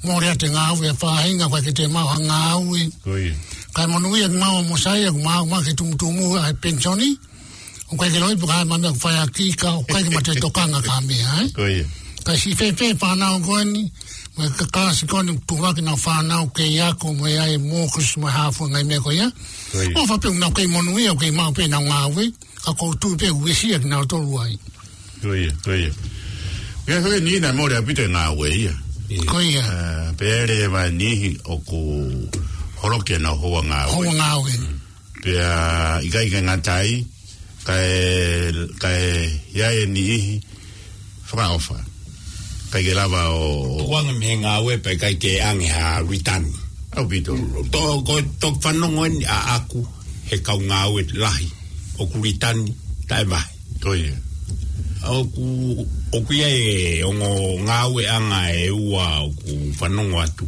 mole atu e ngāue ʻa e faʻahinga, ʻoku ʻikai ke toe maʻu ha ngāue. Ko ia. Kae monūʻia kimaua mo Saia, ʻoku maʻu mai ki he tumutumu ʻa e penisoni. ʻOku ʻikai ke loi pe ko e hā e meʻa ʻoku fai ʻaki, ka ʻoku ʻikai ke ma toe tokanga ki ha meʻa, ē? Ko ia. Ka siʻi fēfē e fānau ko eni, mo e kalasi ko eni, tuʻu hake ʻenau fānau kei ako, mo e ʻai e mortgage, mo e hā fua e ngaahi meʻa ko ia. Ko ia. ʻOfa pē ʻoku nau kei monūʻia, ʻoku kei maʻu pē ʻenau ngāue, ka ʻoku ou tui pē ʻoku uesia kinautolu ai. Ko ia, ko ia. Ko ia, ko e niʻihi naʻe mole ʻaupito e ngāue ia. Ko ia. ʻA, pea ʻi ai e niʻihi ʻoku holoki ʻenau houa ngāue. Houa ngāue. Pea ʻikai ke ngata ai, kae, kae ʻi ai e niʻihi fakaʻofa. ʻIkai ke lava ʻo, ʻo tukuange mei he ngāue pea ʻikai ke ʻange ha ritani. ʻAupito. Tō, ko e tō fanongo eni ʻaʻaku he kau ngāue lahi ʻoku ritani taʻemahe. Ko ia. ʻOku, ʻoku ʻi ai e ongo ngāueʻanga ʻe ua ʻoku fanongo atu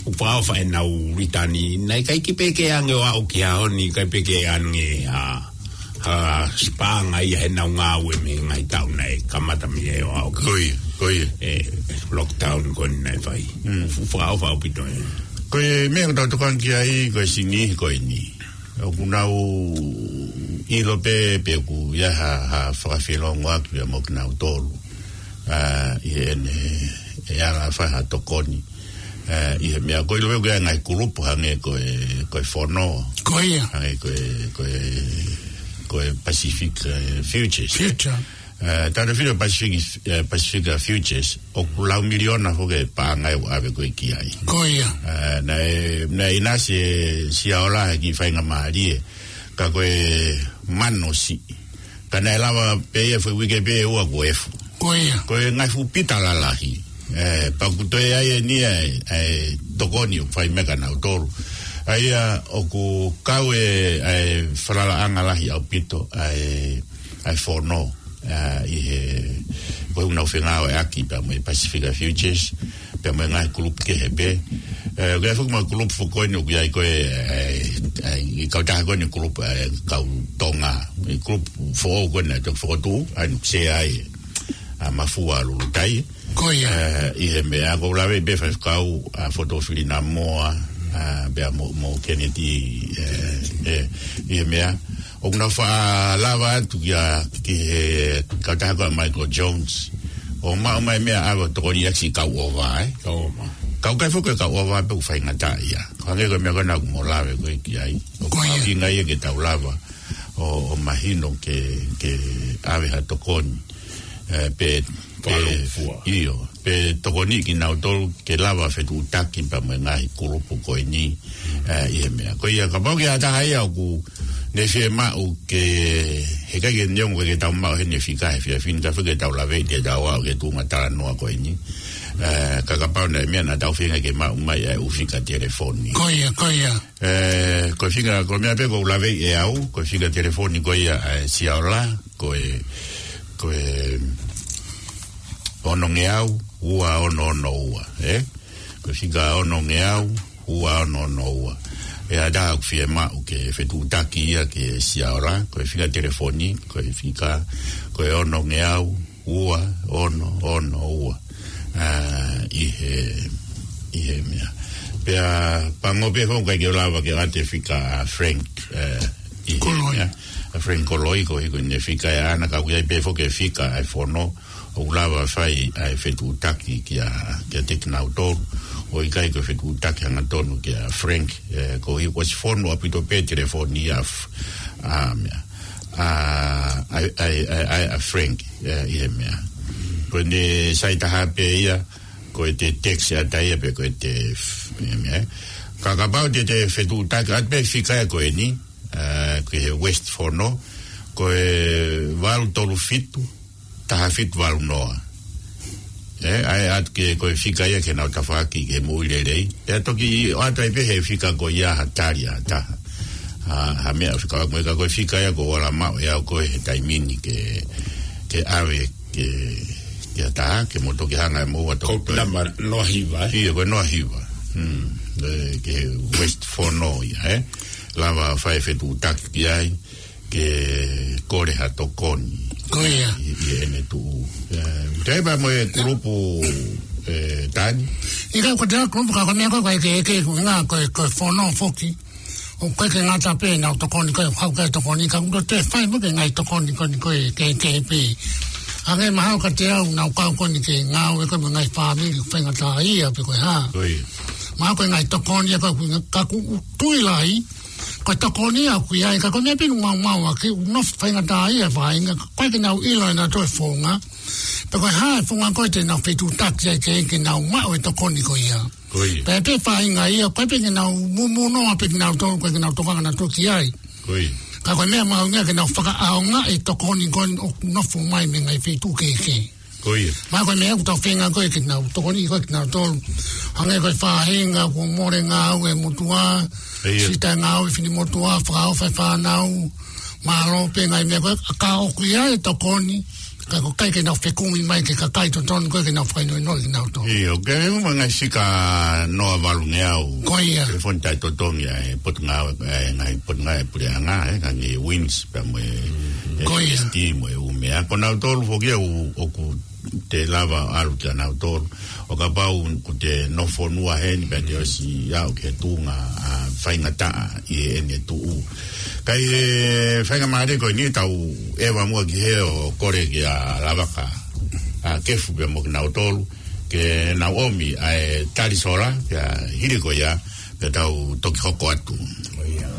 ʻoku fakaʻofa ʻenau ritani, naʻe ʻikai ke pehē ke ʻange ʻo aʻu ki he ʻaho ni, ʻikai pehē ke ʻange ha, ka sipaʻanga ia heʻenau ngāue mei he ngaahi taʻu naʻe kamata mei ai ʻo aʻu ki. Ko ia, ko ia. ʻE, lockdown ko eni naʻe fai. Mm. Fuʻu fakaʻofa ʻaupito ē. Ko e meʻa ʻoku tau tokanga ki ai, ko e sini ko eni. ʻOku nau ʻilo pē, pe ʻoku ʻi ai ha, ha fakafeʻiloaki pea mo kinautolu. ʻA, ʻi heʻene, ʻe ala fai ha tokoni. ʻA, ʻi he meʻa ko e ʻilo pē ʻoku ʻi ai e ngaahi kulupu hangē ko e, ko e Fono. Ko ia. Hangē ko e, ko e, ko e Pacific, ē, Futures. Future. ʻA, tana filo Pacific, ē, Pacific Futures, ʻoku lau miliona foki e paʻanga ʻoku ʻave ko ē ki ai. Ko ia. ʻA, naʻe, naʻe ʻinasi ʻa Siaola he kiʻi faingamālie, ka ko e mano siʻi. Ka naʻe lava pē ia foʻi uike pē ʻe ua kuo efu. Ko ia. Ko e ngaahi fuʻu pita lalahi. ʻE, pea ʻoku toe ʻi ai eni ʻa e, ʻa e tokoni ʻoku fai mei ai kinautolu. ʻA ia ʻoku kau e, ʻa e falalaʻanga lahi ʻaupito ʻa e, ʻa e Fono, ʻa, ʻi he, ko ʻenau fengāueʻaki pea mo e Pacific Futures, pea mo e ngaahi kulupu kehe pē. ʻE, ʻoku ʻi ai foki mo e kulupu foʻou ko eni ʻoku ʻi ai ko e, ʻa e, ʻa e, ʻi he kautaha ko eni kulupu, ʻa e, kau Tonga. ʻI he kulupu foʻou ko eni naʻe toki fokotuʻu, ʻa ia ʻoku sea ai ʻa Mafua Lulutai. Ko ia. ʻE, ʻi he meʻa ʻoku ou lave pē faifekau, ʻa Fotofili Namoa, ʻa, pea mo, mo Kennedy, ē, ē, ʻi he meʻa. ʻOku nau faʻa lava atu ki a, ki he kautaha ko ē ʻa Michael Jones. ʻO maʻu mai meʻa ʻave ʻo tokoni ʻaki siʻi kau ʻova, ē? Kau ʻova. Kau kai foki e kau ʻova pē ʻoku faingataʻaʻia. Ko e hangē ko e meʻa ko ena ʻoku mo lave ko ē ki ai. Ko ia. ʻOku ʻi ai ngai ia ke tau lava ʻo, ʻo mahino ke, ke ʻave ha tokoni. ʻE, pe, pe, Fakaʻofoʻofa. ʻIo, pe tokoni kinautolu ke lava fetuʻutaki pea mo e ngaahi kulupu ko eni, ē, ʻi he meʻa. Ko ia, kapau ʻoku ʻi ai ha taha ia ʻoku ne fiemaʻu ke, heʻikai ke neongo ke tau maʻu heni e fika he efiafi ni, ka fai ke tau lave ʻi he tau aʻu ki he tuʻunga talanoa ko eni. Ē, ka kapau naʻe meʻa naʻa tau feinga ke maʻu mai ʻa e ʻū fika telefoni. Ko ia, ko ia. Ē, ko e fika, ko e meʻa pē ʻoku ou lave ʻe au, ko e fika telefoni ko ia ʻa e Siaola, ko e, ko e ono ngeau, ua ono ono ua, ē? Ko e fika ono ngeau, ua ono ono ua. ʻE ʻi ai ha taha ʻoku fiemaʻu ke fetuʻutaki ia ki he Siaola, ko e fika telefoni, ko e fika, ko e ono ngeau, ua ono ono ua. ʻA, ʻi he, ʻi he meʻa. Pea pango pē foki ʻikai ke u lava ke ʻoatu e fika ʻa Frank, ē, ʻi he Koloi. Meʻa. ʻA Frank Koloi ko e hiko ʻene fika ʻe ʻana ka ʻoku ʻi ai pē foki e fika ʻa e Fono ʻoku lava fai ʻa e fetuʻutaki kia, kiate kinautolu. ʻOku ʻikai ko e fetuʻutaki hangatonu kia Frank, ē, ko e hiko ʻosi fonu ʻaupito pē telefoni ʻa f-, ʻa meʻa. ʻA, ʻa, ʻa, ʻa, ʻa, ʻa Frank, ē, ʻi he meʻa. Ko ʻene sai taha pē ia, ko ʻete text ʻa taha ia pe ko ʻete f-, ʻi he meʻa. Ka kapau te te fetuʻutaki atu pē fika ia ko eni, ē, ki he West Fono, ko e valu tolu fitu, taha fitu valu noa. Ē, ʻai atu ke ko e fika ia ke nau tafaʻaki ke moʻui lelei. ʻE toki ʻoatu ai pē he fika ko ia ha tali ʻa ha taha. Ha, ha meʻa fika ko ia ka ko e fika ia ʻoku ou ala maʻu ʻe au ko ē he taimi ni ke, ke ʻave ke, ke ha taha, ke mo toki hanga ʻe moua toki. Ko e namba noa hiva, ē? ʻIo, ko e noa hiva. Hmm. Ē, ki he West Fono ia, ē? Lava fai fetuʻutaki ki ai. Ke kole ha tokoni. Ko ia. ʻI, ʻi heʻene tuʻu. Ē, te pa mo e kulupu, ē, Tani. ʻIkai ko e kulupu ka ko e meʻa ko e, ko e ke, ke, ko e ngā, ko e, ko e Fono foki. ʻOku ʻikai ke ngata pē ʻenau tokoni, ko e kau ke tokoni, ka ʻoku toe fai mo e ngaahi tokoni ko eni ko e ke, ke pē. Hangē mahalo kiate au naʻa ku kau ko eni ke ngāue ko e mo e ngaahi fāmili, faingataʻaʻia pe ko e hā. Ko ia. Mahalo ko e ngaahi tokoni, ʻa ia ka ʻoku, ka ʻoku tui lahi, ko e tokoni ʻoku ʻi ai, ka ko e meʻa pē ʻoku maumau ʻaki, ʻoku nofo faingataʻaʻia e faʻahinga, ʻikai ke nau ʻilo ʻe nautolu e founga. Pe ko e hā e founga ko ē te nau fetuʻutaki ai ke, ke nau maʻu e tokoni ko ia. Ko ia. Pea pē faʻahinga ia, ʻikai pē ke nau mumunoa pē kinautolu, ʻikai ke nau tokanga nautolu ki ai. Ko ia. Ka ko e meʻa mahuʻinga ke nau fakaʻaongaʻi e tokoni ko ē ʻoku nofo mai mei he ngaahi feituʻu kehekehe. Ko ia. Mahalo ko e meʻa ʻoku tau feinga ko ē ke nau tokoni ko ē kinautolu. Hangē ko e faʻahinga kuo mole ngāue e motuʻa. ʻIo. Siʻi taʻe ngāue e finemotuʻa, fakaʻofa e fānau. Mālō pē ngaahi meʻa ko ē, ka ʻoku ʻi ai e tokoni. Ka ko e ʻikai ke nau fekumi mai ki he kakai totonu, ʻikai ke nau fakahinohino kinautolu. ʻIo, ke ʻi ai mo e ngaahi sika noa valungeau. Ko ia. Ke fon tai totongi ai, potungāue, ʻa e ngaahi potungāue puleʻanga, ʻa e ngaahi wins, pea mo e, ko ia. S T, mo e ʻū meʻa. Ko nautolu foki ʻoku, ʻoku te lava ʻalu kia nautolu. ʻO kapau ʻoku te nofo fonua heni pea te ʻosi aʻu ki he tuʻunga, ʻa, faingataʻa ʻi heʻene tuʻu. Ka ʻi he faingamālie ko eni tau ʻeva muʻa ki hē ʻo kole kia Lavaka, ʻa, Kefu pea mo kinautolu, ke nau ʻomi ʻa e tali sola, pea hili ko ia, pea tau toki hoko atu. ʻO ia.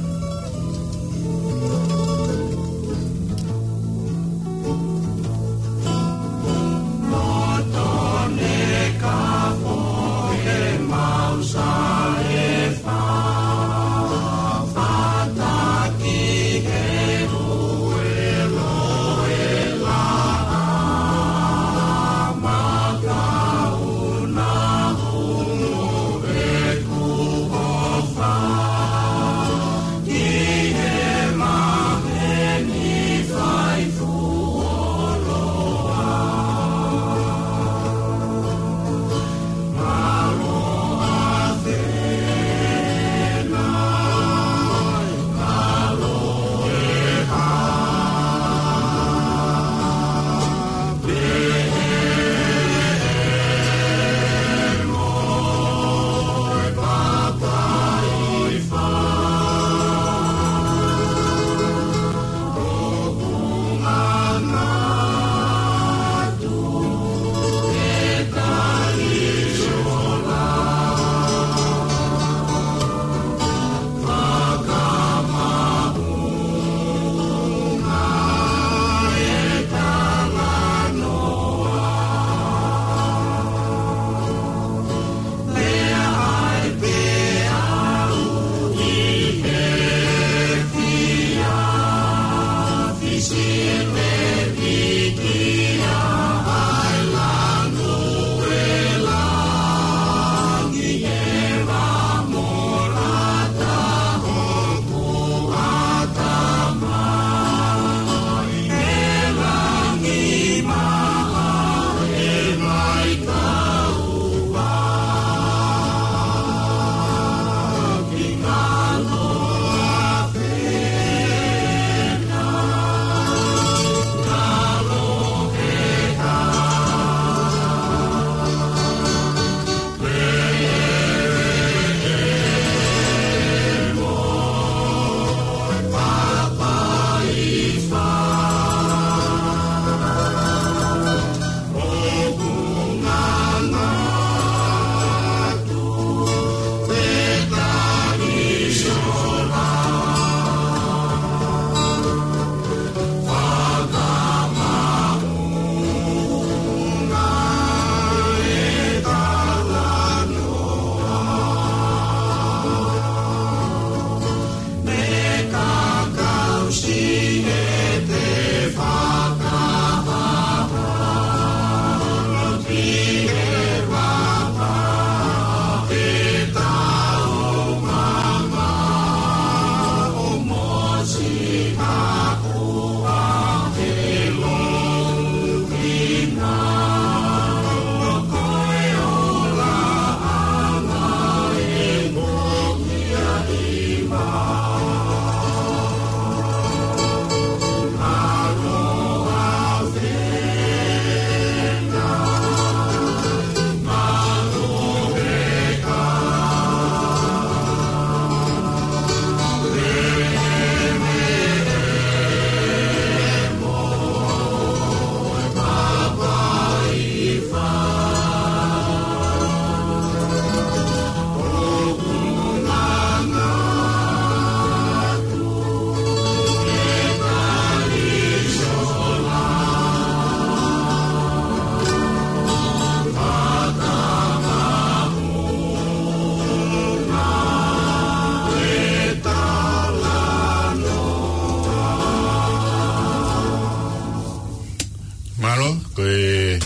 Mālō, ko e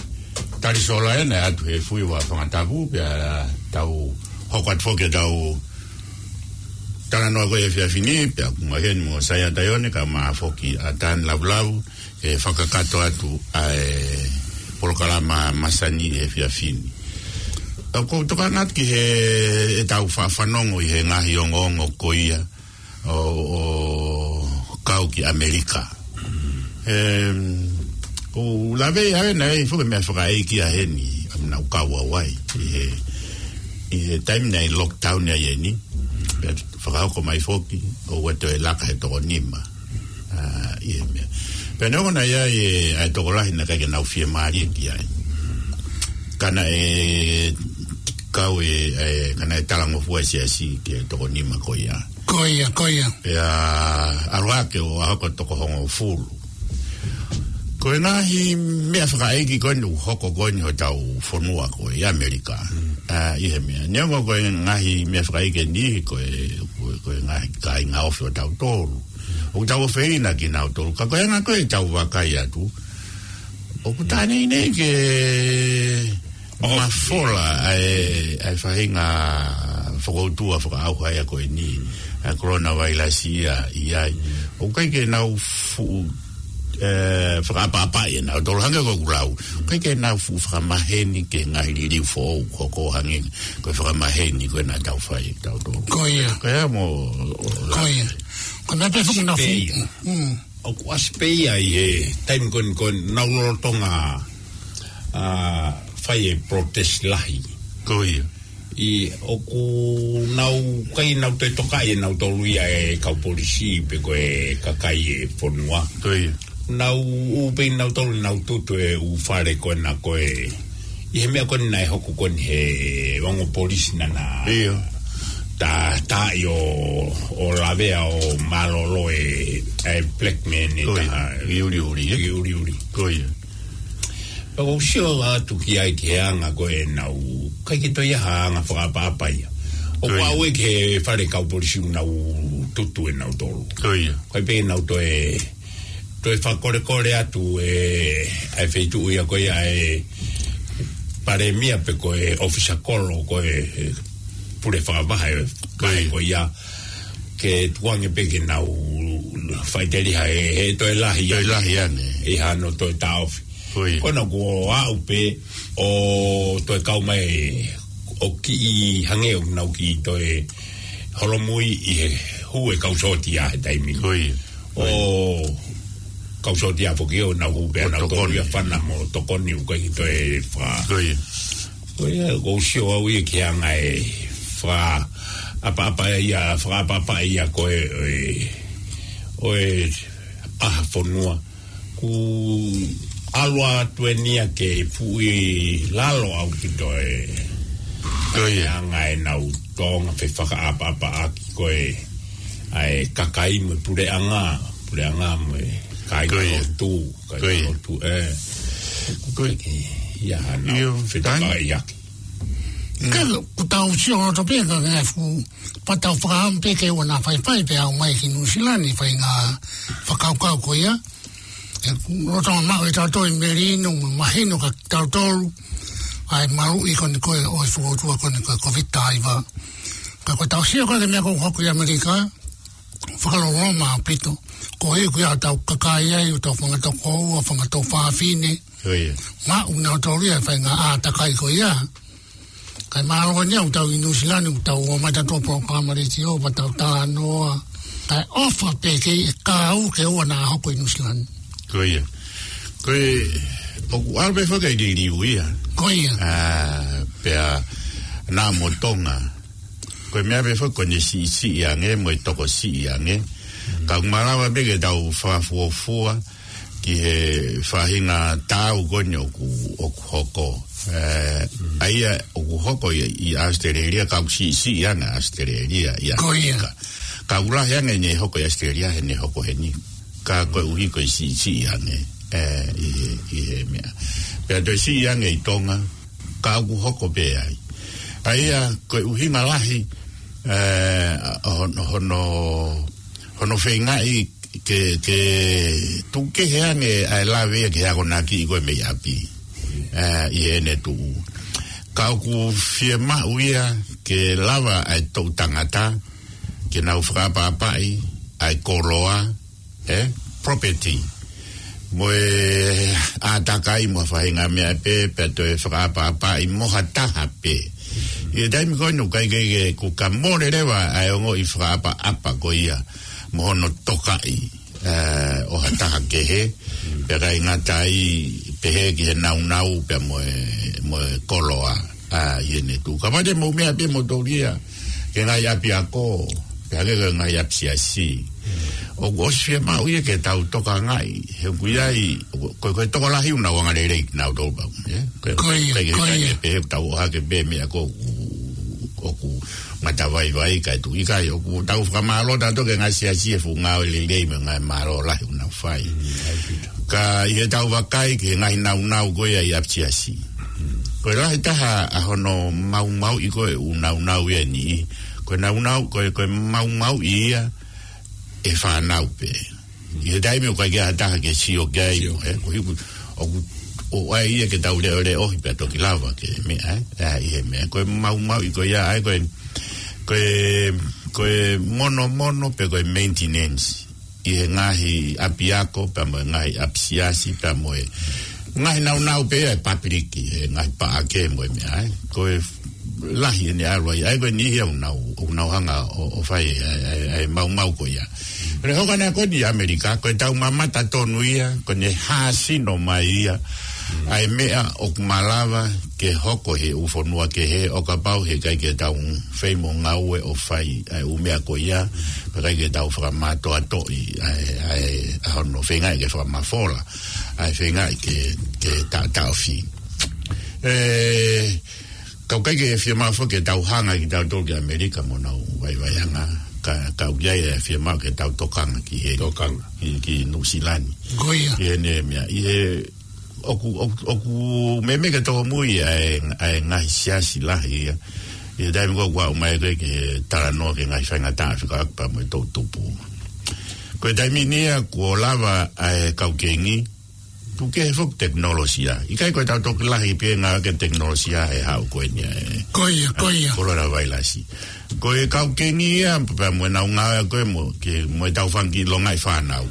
tali sola ena ʻa e ʻAtuhefui ʻa Fangatapu, pea tau hoko atu foki ʻetau talanoa ko ē he efiafi ni, pea ʻoku ou heni mo Saiata Ione, kae ʻumaʻā foki ʻa Tani Lavulau, ʻe fakakakato atu ʻa e polokalama masani he efiafi ni. ʻOku ou tokanga atu ki he, ʻetau faʻa fanongo ʻi he ngaahi ongoongo ko ia ʻo, ʻo kau ki ʻAmelika. Em, ʻoku ou lave ʻi ai naʻe ʻi ai foki e meʻa fakaʻeiki ʻa heni, ʻa ʻenau kau ʻa Hawaii. ʻI he, ʻi he taimi naʻe lockdown ai eni, pea fakahoko mai foki, ʻoua toe laka he toko nima. ʻA, ʻi he meʻa. Pea neongo naʻe ʻi ai e, ʻa e tokolahi naʻe ʻikai ke nau fiemālie ki ai. Ka naʻe kau e, e, ka naʻe talangofua e siasi ki he toko nima ko ia. Ko ia, ko ia. Pea ʻalu hake ʻo aʻu ki he toko hongofulu. Ko e ngaahi meʻa fakaʻeiki ko eni ʻoku hoko ko eni hotau fonua ko ē ʻAmelika. Mm. ʻA, ʻi he meʻa. Neongo ko e ngaahi meʻa fakaʻeiki eni ko e, ko e, ko e ngaahi kāinga ofi ʻo tautolu. ʻOku tau ʻofeina kinautolu. Ka ko e anga ko ē ʻetau vakai atu, ʻoku tā nei nei ke mafola ʻa e, ʻa e faʻahinga fokoutua fakaʻauha ia ko eni, ʻa e coronavirus ia ʻi ai. ʻOku ʻikai ke nau fuʻu, e, fakaʻapaʻapaʻi ʻenautolu hangē ko ʻeku lau. ʻOku ʻikai ke nau fuʻu fakamaheni ki he ngaahi liliu foʻou, ko e hangē ko e fakamaheni ko ē naʻa tau fai ʻe tautolu. Ko ia. Ko ia mo, ko ia. Ko e meʻa pē foki naʻa fuʻu. Mm. ʻOku ʻasi pē ia ʻi he taimi ko eni ko ē naʻa nau lolotonga, ʻa, fai e protest lahi. Ko ia. ʻI ʻoku nau ʻikai nau toe tokaʻi ʻenautolu ia ʻe he kau polisi pe ko e kakai e fonua. Ko ia. Nau ʻū pē ʻenautolu nau tutu e ʻū fale ko ena ko ē. ʻI he meʻa ko eni naʻe hoko ko eni he ongo polisi naʻa na. ʻIo. Tā, tā ʻi ʻo, ʻo lavea ʻo mālōlō e, e black man e. Ko ia. Taha. ʻI ʻuliʻuli, e? ʻI ʻuliʻuli. Ko ia. Pea ʻoku ou sio atu ki ai ki he anga ko ē ʻenau, ʻikai ke toe ʻi ai ha anga fakaʻapaʻapa ia. ʻOku. Ko ia. Aʻu ē ki he fale kau polisi ʻoku nau tutu ʻenautolu. Ko ia. ʻIkai pē ke nau toe toe fakakolekole atu e, ʻa e feituʻu ia ko ia ʻa e palēmia pe ko e ʻōfisa kolo ko e, e pule fakavahe. Ko ia. Ko ia. Ke tukuange pē ke nau faʻiteliha he, he toe lahi. Toe lahi ange. ʻI hano toe taʻofi. Ko ia. Ko ena kuo aʻu pē ʻo toe kau mai ʻo kiʻi hangē ʻoku nau kiʻi toe holomui ʻi he hū e kau sōtia he taimi. Ko ia. ʻO kau sōtia foki ʻo nau hū pē ʻo nau tokoni. Tokoni ia fana mo tokoni ʻoku ʻikai ke toe fa. Ko ia. Ko ia, ʻoku ou sio au ia ki he anga e fakaʻapaʻapa ia, fakaʻapaʻapa ia ko ē, ʻo e, ʻo e ʻaho fonua. Kuo ʻalu atu eni ia ke fuʻu ʻi lalo ʻaupito e. Ko ia. Anga ʻenau tōʻonga fefakaʻapaʻapaʻaki ko ē ʻa e kakai mo e puleʻanga, puleʻanga mo e kāinga. Ko ia. Lotu, kāinga. Ko ia. Lotu, e. Ko ia. Ia, ʻio, nau fetakaʻiaki. Ka ʻoku tau sio ʻo tō pē ka ngaahi fuʻu, pea tau fakaʻamu pē ke ʻoua naʻa faifai pē ʻo aʻu mai ki Nuʻusila ni, fai ngaahi fakakaukau ko ia. ʻE, lolotonga maʻu ʻe tautolu e melino, mahino kia tautolu ʻa e maluʻi ko eni ko ē ʻo e fokoutua ko eni ko e Covid taha hiva. Ka ko ʻetau sio ko ē ki he meʻa ʻoku hoko ʻi ʻAmelika, fakaloloma ʻaupito. Ko e ʻuhinga ia ʻoku tau kakato ai, ʻoku tau fanga tokoua, fanga tuofāfine. Ko ia. Maʻu ʻenautolu ia e faʻahinga ʻātakai ko ia. Kae mālō eni ʻoku tau ʻi Nuʻusila ni, ʻoku tau ō mai tautolu polokalama letiō, pea tau talanoa. Kae ʻofa pē ke ʻi ai e kau ke ʻoua naʻa hoko ʻi Nuʻusila ni. Ko ia. Ko e, ʻoku ʻalu pē foki e liliu ia. Ko ia. ʻA, pea naʻa mo Tonga. Ko e meʻa pē foki ko eni siʻisiʻi ange, mo e tokosiʻi ange. Ka ʻoku malava pē ke tau fakafuofua ki he faʻahinga taau ko eni ʻoku, ʻoku hoko. E, ʻa ia ʻoku hoko ʻi, ʻi ʻAositelēlia, ka ʻoku siʻisiʻi ange ʻAositelēlia ʻi. Ko ia. ʻAmelika. Ka ʻoku lahi ange ʻene hoko ʻi ʻAositelēlia heʻene hoko heni. Ka koeʻuhi ko e siʻisiʻi ange, e, ʻi he, ʻi he meʻa. Pea toe siʻi ange ʻi Tonga, ka ʻoku hoko pē ai. ʻA ia, ko e ʻuhinga lahi, e, hono, hono, hono feingaʻi ke, ke tukukehe ange ʻa e lave ia ki he akonaki ko ē mei ʻapi. E, ʻi heʻene tuʻu. Ka ʻoku fiemaʻu ia ke lava ʻa e toʻu tangata, ke nau fakaʻapaʻapaʻi ʻa e koloa, ē, property, mo e ʻātakai mo e faʻahinga meʻa pē, pea toe fakaʻapaʻapaʻi mo ha taha pē. ʻI he taimi ko eni ʻoku ʻikai ke, ke, kuo ka mole leva ʻa e ongoʻi fakaʻapaʻapa ko ia mo hono tokaʻi, ē, ʻo ha taha kehe, pea ʻikai ngata ai, pehē ki he naunau pea mo e, mo e koloa, ā, ʻi heʻene tuʻu. Ka pate mo meʻa pē mo tolia ke ngaahi ʻapiako, pea ke ngaahi ʻapisiasi. ʻOku ʻosi fiemaʻu ia ke tau tokangaʻi, he ʻoku ʻi ai, ko, ko e tokolahi ʻoku nau angalelei kinautolu pau, ē? Ko ia, ko ia. Pehē ʻoku tau ʻohake pē meʻa ko ē ʻoku, ʻoku matavaivai kae tuʻu ʻikai, ʻoku tau fakamālō tautolu ki he ngaahi siasi he fuʻu ngāue lelei mo e ngaahi mālō lahi ʻoku nau fai. Ka ʻi heʻetau vakai ki he ngaahi naunau ko ia ʻi ʻapisiasi, ko e lahi taha ʻa hono maumauʻi ko ē ʻū naunau ia ni. Ko e naunau, ko e, ko e maumauʻi ia ʻe he fānau pē. ʻI he taimi ʻoku ʻikai ke ʻi ai ha taha ke sio ki ai, ē, ko e hā ʻoku, ʻoku ʻai ia ke tau leʻoleʻohi pea toki lava ke meʻa, ē, ʻi he meʻa. Ko e maumauʻi ko ia, ʻa e, ko e, ko e, ko e monomono pe ko e maintenance ʻi he ngaahi ʻapiako, pea mo e ngaahi ʻapisiasi, pea mo e ngaahi naunau pē ʻa e papiliki, he ngaahi paʻake mo e meʻa, ē. Ko e lahi ʻene ʻalu ai, ʻa e ko e niʻihi ʻoku nau, ʻoku nau hanga ʻo, ʻo fai ʻa e, ʻa e, ʻa e maumau ko ia. Pea hoko ʻa e ko eni ʻi ʻAmelika, ko ʻetau mamata tonu ia, ko ʻene hāsino mai ia ʻa e meʻa ʻoku malava ke hoko he ʻū fonua kehe, ʻo kapau he ʻikai ke tau fai mo ngāue ʻo fai ʻa e ʻū meʻa ko ia, pea ʻikai ke tau fakamātoatoʻi ʻa e, ʻa e, ʻa hono feingaʻi ke fakamafola, ʻa e feingaʻi ke, ke taʻotaʻofi. Ē, ka ʻoku ʻikai ke fiemaʻu foki ke tau hanga kitautolu ki ʻAmelika mo ʻenau vaivaiʻanga, ka, ka ʻoku ʻi ai e fiemaʻu ke tau tokanga ki he, tokanga ki, ki Nuʻusila ni. Ko ia. Ki heʻene meʻa, ʻi he, ʻoku, ʻoku, ʻoku meimei ke tōmui ʻa e, ʻa e ngaahi siasi lahi ia. ʻI he taimi ko ē ʻoku aʻu mai ko ē ki he talanoa ki he ngaahi faingataʻa fekauʻaki pea mo e toʻutupu. Ko e taimi ni ia kuo lava ʻa e kau Kingi, tuku kehe foki tekinolosia. ʻIkai ko ʻetau toki lahi pē ngāueʻaki e tekinolosia he haʻu ko eni ʻa e, ko ia, ko ia, coronavirus. Ko e kau Kingi ia, pea mo ʻenau ngāue ko ē mo, ke, mo ʻetau fanga kiʻi longaʻi fānau.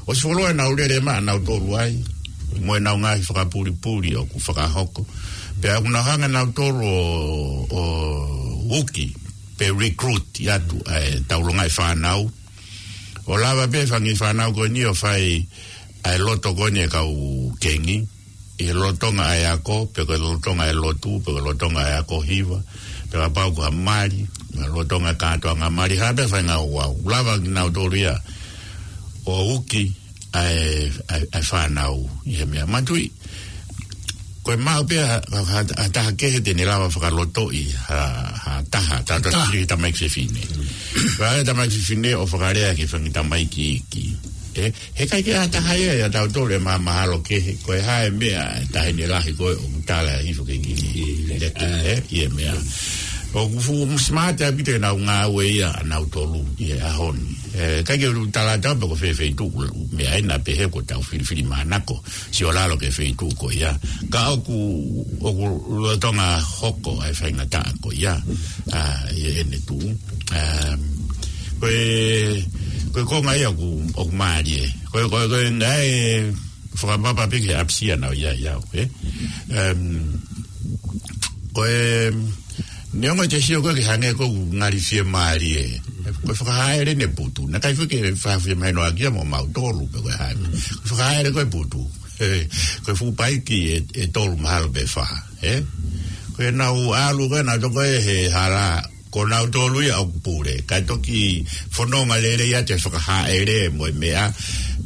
ʻOsi fuoloa ʻenau lele maʻanautolu ai, mo ʻenau ngaahi fakapulipuli ʻoku fakahoko. Pea ʻoku nau hanga nautolu ʻo, ʻo uki, pe recruit atu ʻa ʻetau longaʻi fānau. ʻO lava pē fanga kiʻi fānau ko eni ʻo fai ʻa e loto ko eni ʻa e kau Kingi, ʻi he lolotonga ʻa e ako, pe ko e lolotonga ʻa e lotu, pe ko e lolotonga ʻa e ako hiva, pe kapau ko ha mali, pe lolotonga kātoanga mali, ha pē fai ngāueʻaki. Lava kinautolu ia ʻo uki ʻa e, ʻa e, ʻa e fānau ʻi he meʻa. Manatuʻi, ko e maʻu pē ha, ha, ha, ha taha kehe te ne lava fakalotoʻi ha, ha taha, taha, taha, taha. Tamaiki fefine. Ka ʻi ai e tamaiki fefine ʻo fakalea ki he fanga kiʻi tamaiki iiki. Ē, he ʻikai ke ʻi ai ha taha ia ʻiate kitautolu ʻe mahamahalo kehe, ko e hā e meʻa ʻa e taʻahine lahi ko ē ʻoku tala hifo ki he kiʻi leka, ē, ʻi he meʻa. ʻOku fuʻu smart ʻaupito ʻenau ngāue ia ʻanautolu ʻi he ʻaho ni. Ē, ʻikai ke u talaatu pe ko fē feituʻu, meʻa ena pehē ko ʻetau filifilimānako, sio lalo ki he feituʻu ko ia. Ka ʻoku, ʻoku lolotonga hoko ʻa e faingataʻa ko ia, ā, ʻi heʻene tuʻu. Ā, ko e, ko e konga ia ʻoku, ʻoku mālie. Ko e, ko e, ko e, naʻe fakapapau pē ki he ʻapisiasi naʻe ʻi ai au, ē? Em, ko e, neongo e te sio ko ē ke hangē ʻoku ngali fiemālie. Ko e fakahaʻele ʻene putu. Naʻe ʻikai foki ke fai fiemālie noa kia mo mautolu pe ko e hā. Ko e fakahaʻele ko e putu. Ē, ko e fuʻu paiki ʻe, ʻe tolu mahalo pe fā, ē? Ko ʻenau ʻalu ko ē naʻa toko ē he hala, ko nautolu ia ʻoku pule. Kae toki fononga lelei atu e fakahaʻele mo e meʻa.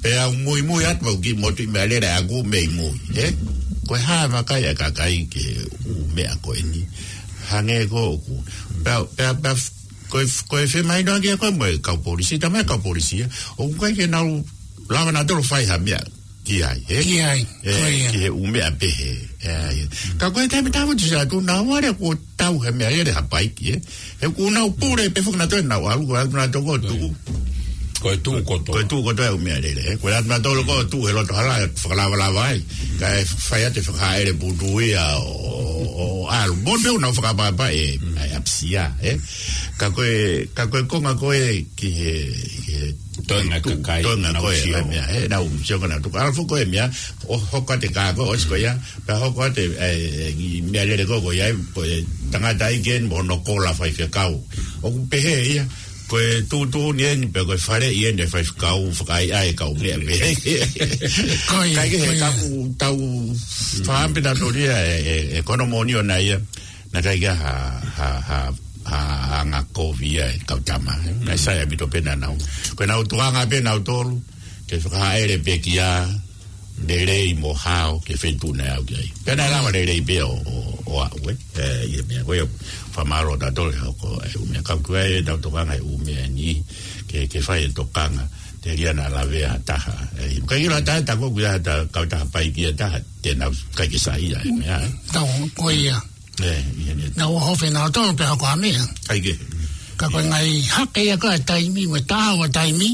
Pea u muimui atu mau ki motu ʻi meʻa lele ʻaku mei mui, ē? Ko e hā e vakai ʻa e kakai ki he ʻū meʻa ko eni. Hangē ko ʻoku. Pea, pea, pea, ko e, ko e femahinoʻaki ia ko ē mo e kau polisi, talamai kau polisi ia. ʻOku ʻikai ke nau lava nautolu fai ha meʻa ki ai, ē? Ki ai, ē, ko ia. Ki he ʻū meʻa pehē, ē, ē. Ka ko e taimi tāputu sa tu nau ʻalu ʻo tau he meʻa lele ha paiki, ē? He ʻoku nau pule pē foki nautolu ʻenau ʻalu, ko e ʻalu nautolu ko e tuʻu. Ko e tuʻu kotoa. Ko e tuʻu kotoa e ʻū meʻa lele, ē? Ko e ʻalu nautolu ko e tuʻu he loto hala, fakalavalava ai. Kae fai atu e fakahaʻele putu ia ʻo, ʻo, ʻo, ʻAlu, mo pē ʻoku nau fakaʻapaʻapa ē, ʻai ʻapisia, ē. Ka ko e, ka ko e konga ko ē ki he, ki he Toenga tu-, kakai, toenga nau ko ē, sio. ʻAi meʻa, ē, nau sio ka nau tuku. ʻAlu foki ko e meʻa, ʻo hoko atu e kā ko ē, ʻosi ko ia, pea hoko atu e, e, e, meʻalele ko ē, ko ia, ko e tangata ai ke mo hono kola faifekau. ʻOku pehē ia, ko e tuʻutuʻuni eni pe ko e faleʻi eni e faifekau fakaʻaiʻai e kau meʻa pē. Ko ia, Kae kehe, ko ia. Ka ʻoku tau fāmpi na tolia e, e, e konomonia na ia, naʻe ʻikai ke ha, ha, ha, ha, ha anga kovi ia e kau tama. Naʻe sai ʻaupito pē naʻa nau. Ko ʻenau tuʻunga pē nautolu, ke fakahaʻele pekia, lelei mo hao ki he feituʻu naʻe aʻu ki ai. Pea naʻe lava lelei pē ʻo, ʻo, ʻo aʻu, ē. ʻE, ʻi he meʻa ko ia, fakamālō tautolu he hoko e ʻū meʻa ka ko e tau tokanga he ʻū meʻa ni, ke, ke fai e tokanga, telia naʻa lavea ha taha. ʻE, ʻikai ke ʻilo ha taha, tā ko ē ʻoku ʻi ai ha taha, kautaha paiki ʻe taha, te nau ʻikai ke saiʻia e meʻa, ē. Tau, ko ia. ʻE, ʻi heʻene Naʻa ʻohofi nautolu pea hoko ha meʻa. ʻIkai ke. Ka ko e ngaahi hake ia ko e taimi, mo e taha ua taimi,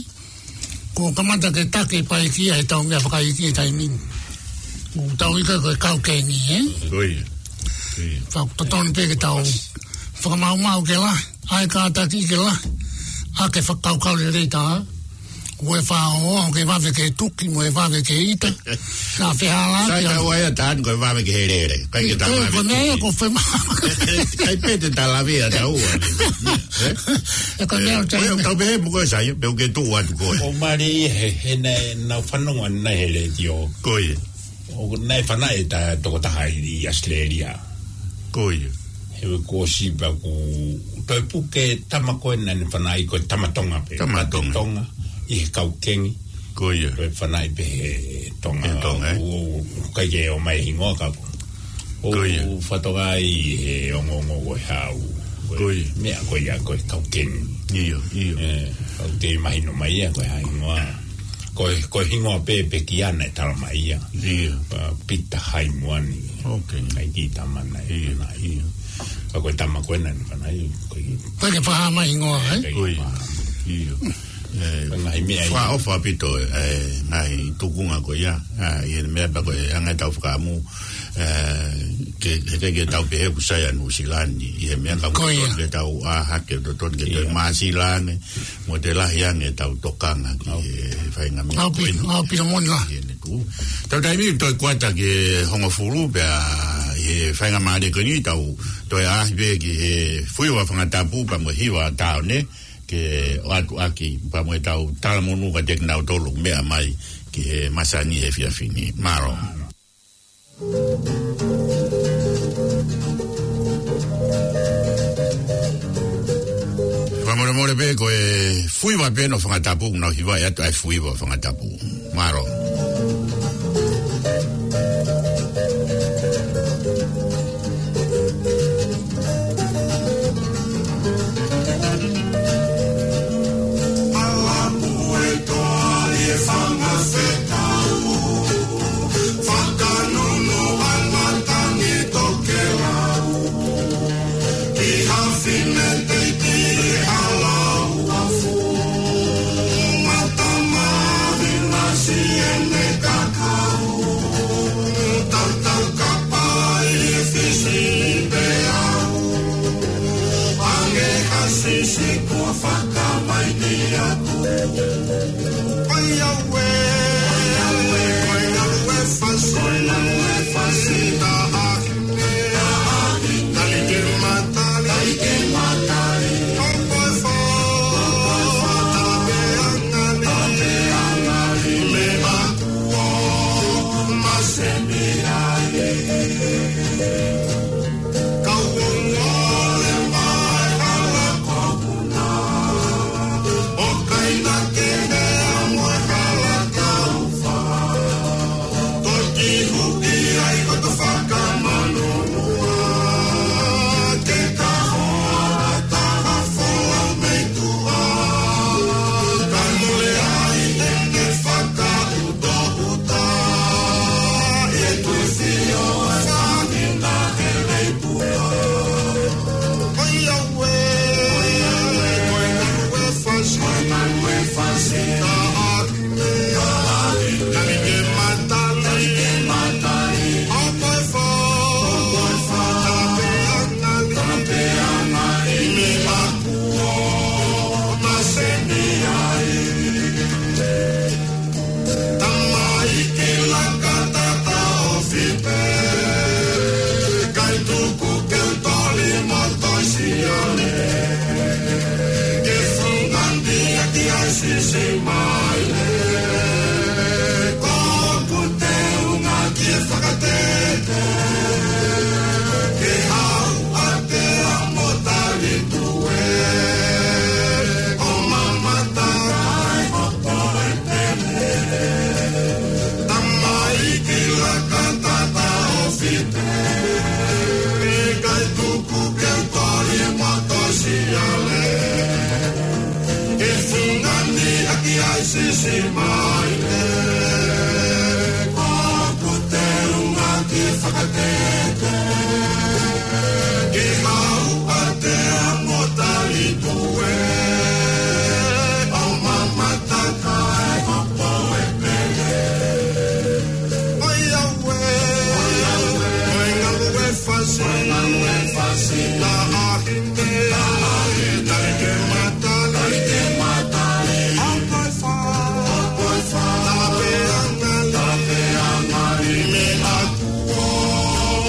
kuo kamata ke taki paiki ia he tau meʻa fakaiki he taimi ni. ʻOku tau ʻilo ko e kau keni, ē? Ko ia. Ko ia. Fakatotonu pē ke tau fakamaumau ke lahi, ʻai kātaki ke lahi, ʻa ke fakakaukau lelei tā. Ko e fā o, ke vave ke tuki, mo e vave ke ita. Sa fehālaaki Sai au. Ka ua ia tāni ko e vave ke helele. ʻIkai ke tā Ko e vave ko e meʻa ia tuki. Ko e fema. ʻIkai pē te tā lavea tā ua. Ē? ʻE ko e meʻa ʻOku tau pehē mo koe sai, pe ʻoku ke tuʻu atu koe. ʻO mali he, he naʻe, nau fanongo naʻe he letiō. Ko ia. ʻO naʻe fanaʻi e tokotaha ʻi ʻAositelēlia. Ko ia. He kuo ʻosi pea kuo toe puke tama ko ē naʻa ne fanaʻi ko e tama Tonga pē. Tama Tonga. Tonga, ʻi he kau keni. Ko ia. Ko e fanaʻi pē he Tonga. He Tonga, ē? ʻO, ʻo, ʻikai ke ʻomai hingoa ka ko. ʻO Ko ia. Fatongia ʻi he ongoongo ko e hau. Ko ia. Meʻa ko ia ko e kau keni. ʻIo, ʻio. ʻE, ʻoku te mahino mai ia ko e hā hingoa. Ko e, ko e hingoa pē pekia naʻe tala mai ia. ʻIo. Pea Pita Haimoani. Ok. ʻAi ki tama naʻe ʻIo, fanaʻi. ʻIo. Ka ko e tama ko ē naʻa ne fanaʻi, ko e Ko e ke paha mai hingoa, ē? Ko ia. ʻIo. ʻE, Ko e ngaahi meʻa ia. Fakaʻofa ʻaupito, ʻe, ngaahi tukunga ko ia. ʻA, ʻi he meʻa pea ko e anga e tau fakaʻamu, ʻe, ke, he ke, ke tau pehē ʻoku sai ʻa Nuʻusila ni. ʻI he meʻa ka Ko ia. Ke tau ʻā hake totonu ke tau Ia. māsila ange, mo te lahi ange tau tokanga ki Au. he faʻahinga meʻa Au pi-, ko eni. au pito moni la. ʻI heʻene tuʻu. Tau taimi toe kuata ki he hongofulu pea ʻi he faingamālie ko eni tau toe ʻaʻahi pē ki he fuiva fanga tapu pea mo e hiva tāone ke ʻoatu ʻaki pea mo e tau talamonū kiate kinautolu meʻa mai ki he masani he efiafi ni. Mālō. Fakamolemole pē ko e fuiva pē ʻo fanga tapu, nau hiva atu ʻa e fuiva fanga tapu. Mālō. ʻAlapu e toa ʻi he fanga fekau. Fakanunu ʻa e matangi tokelau. Ki ha fine teiti ʻi he hala uafu. Mata mahi nasi ʻene kakau. Tautau kapai e fisi pē au. Ange ha sisi kua fakamaʻi aku. Oi aue, oi aue, fasi, oi aue, fasi, taha. Siale, ke fungani ʻaki ai Sisimaile, ʻoku te unga ki fakatete, ke hau ʻa te amo tali pue, ʻo mamata kae hopo e pele. ʻOiauē, ʻoiauē, ʻoiauē, fasi, ʻoiauē, fasi, taʻahine, taʻahine, taʻahine, ke matali, taʻahine, ke matali, ʻoku ʻi fē, ʻoku ʻi fē, tape angali, tape angali, meʻa kuo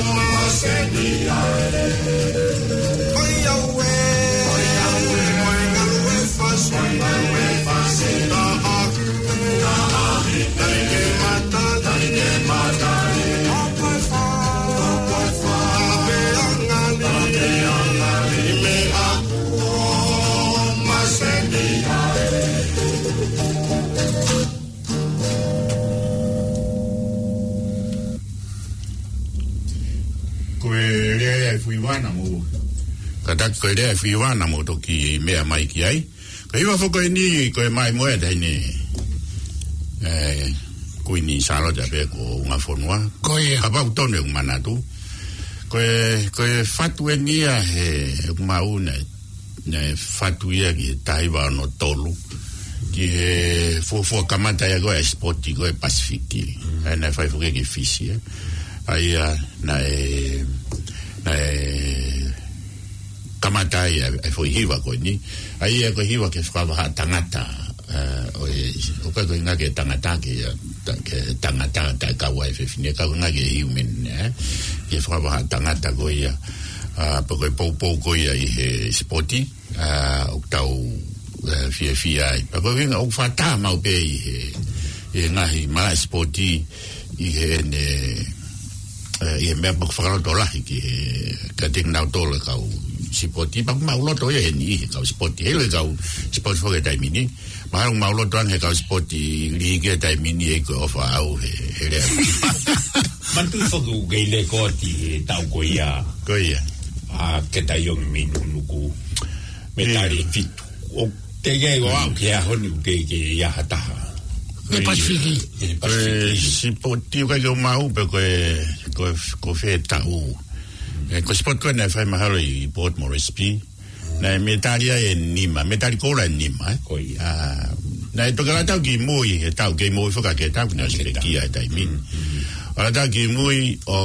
maseni ai. ʻOiauē, ʻoiauē, ʻoiauē, fasi, ʻoiauē, fasi, taʻahine, taʻahine, taʻahine, ke matali, taʻahine, ke matali, ʻoku ʻi fē, ʻoku ʻi fē, tape angali, tape angali, meʻa kuo maseni ai. Ko e lea ia ʻa e Fuiuana mo. Kātaki ko e lea ʻa e Fuiuana mo toki meʻa mai ki ai. Ko e hiva foki eni, ko e mai mo e taʻahine, ē, Kuini Sālote pē ko e ʻunga fonua. Ko ia. Kapau tonu ʻeku manatu. Ko e, ko e fatu eni ia he, ʻeku maʻu naʻe naʻe fatu ia ki he taha hiva ono tolu. Ki he fuofua kamata ia ko e sipoti ko e Pasifiki. Mm. ʻA ia naʻe fai foki ki Fisi, ē. ʻA ia naʻe, naʻe kamata ia ʻa e foʻi hiva ko eni. ʻA ia ko e hiva ke fakavahaʻa tangata, ē, ʻo e, ʻoku ʻikai ko e ngaahi tangata ke, ē, ta-, ke tangata, taʻe kau ai e fefine, ka ko e ngaahi human, ē. Ke fakavahaʻa tangata ko ia, ā, pe ko e poupou ko ia ʻi he sipoti, ā, ʻoku tau, ē, fiefia ai. Pea ko e ʻuhinga ʻoku fakataha maʻu pē ʻi he, ʻi he ngaahi malaʻe sipoti ʻi heʻene, ē, ʻi he meʻa pea ʻoku fakalotolahi ki he, kiate kinautolu e kau sipoti. Pea ʻoku maʻuloto ia he niʻihi e kau sipoti. Heiʻilo e kau sipoti foki he taimi ni. Mahalo ʻoku maʻuloto ange he kau sipoti lihi ki he taimi ni ʻe ʻikai ko e ʻofa ʻaʻau he, he lea. Manatuʻi foki ʻoku kei lekooti he taʻu ko ia. Ko ia. ʻA Keta Iongi mei Nukunuku. Metali ʻIo. fitu. ʻOku teʻeki ai ʻo aʻu ki he ʻaho ni ʻoku teʻeki ai ha taha. Ko e Pasifiki. Ko e Pasifiki. Ko e sipoti ʻoku ʻikai ke u maʻu pe ko e, ko e, ko fē taʻu. Ē, ko e sipoti ko ē naʻe fai mahalo ʻi Port Moresby. Naʻe metali ai ʻe nima, metali koula ʻe nima, ē? Ko ia. Ā, naʻe toki ʻalu atu ki mui he taʻu, kei mui foki ʻa Keta, naʻe Keta. Sipeki ai taimi. Mm, mm. ʻAlu atu ki mui ʻo,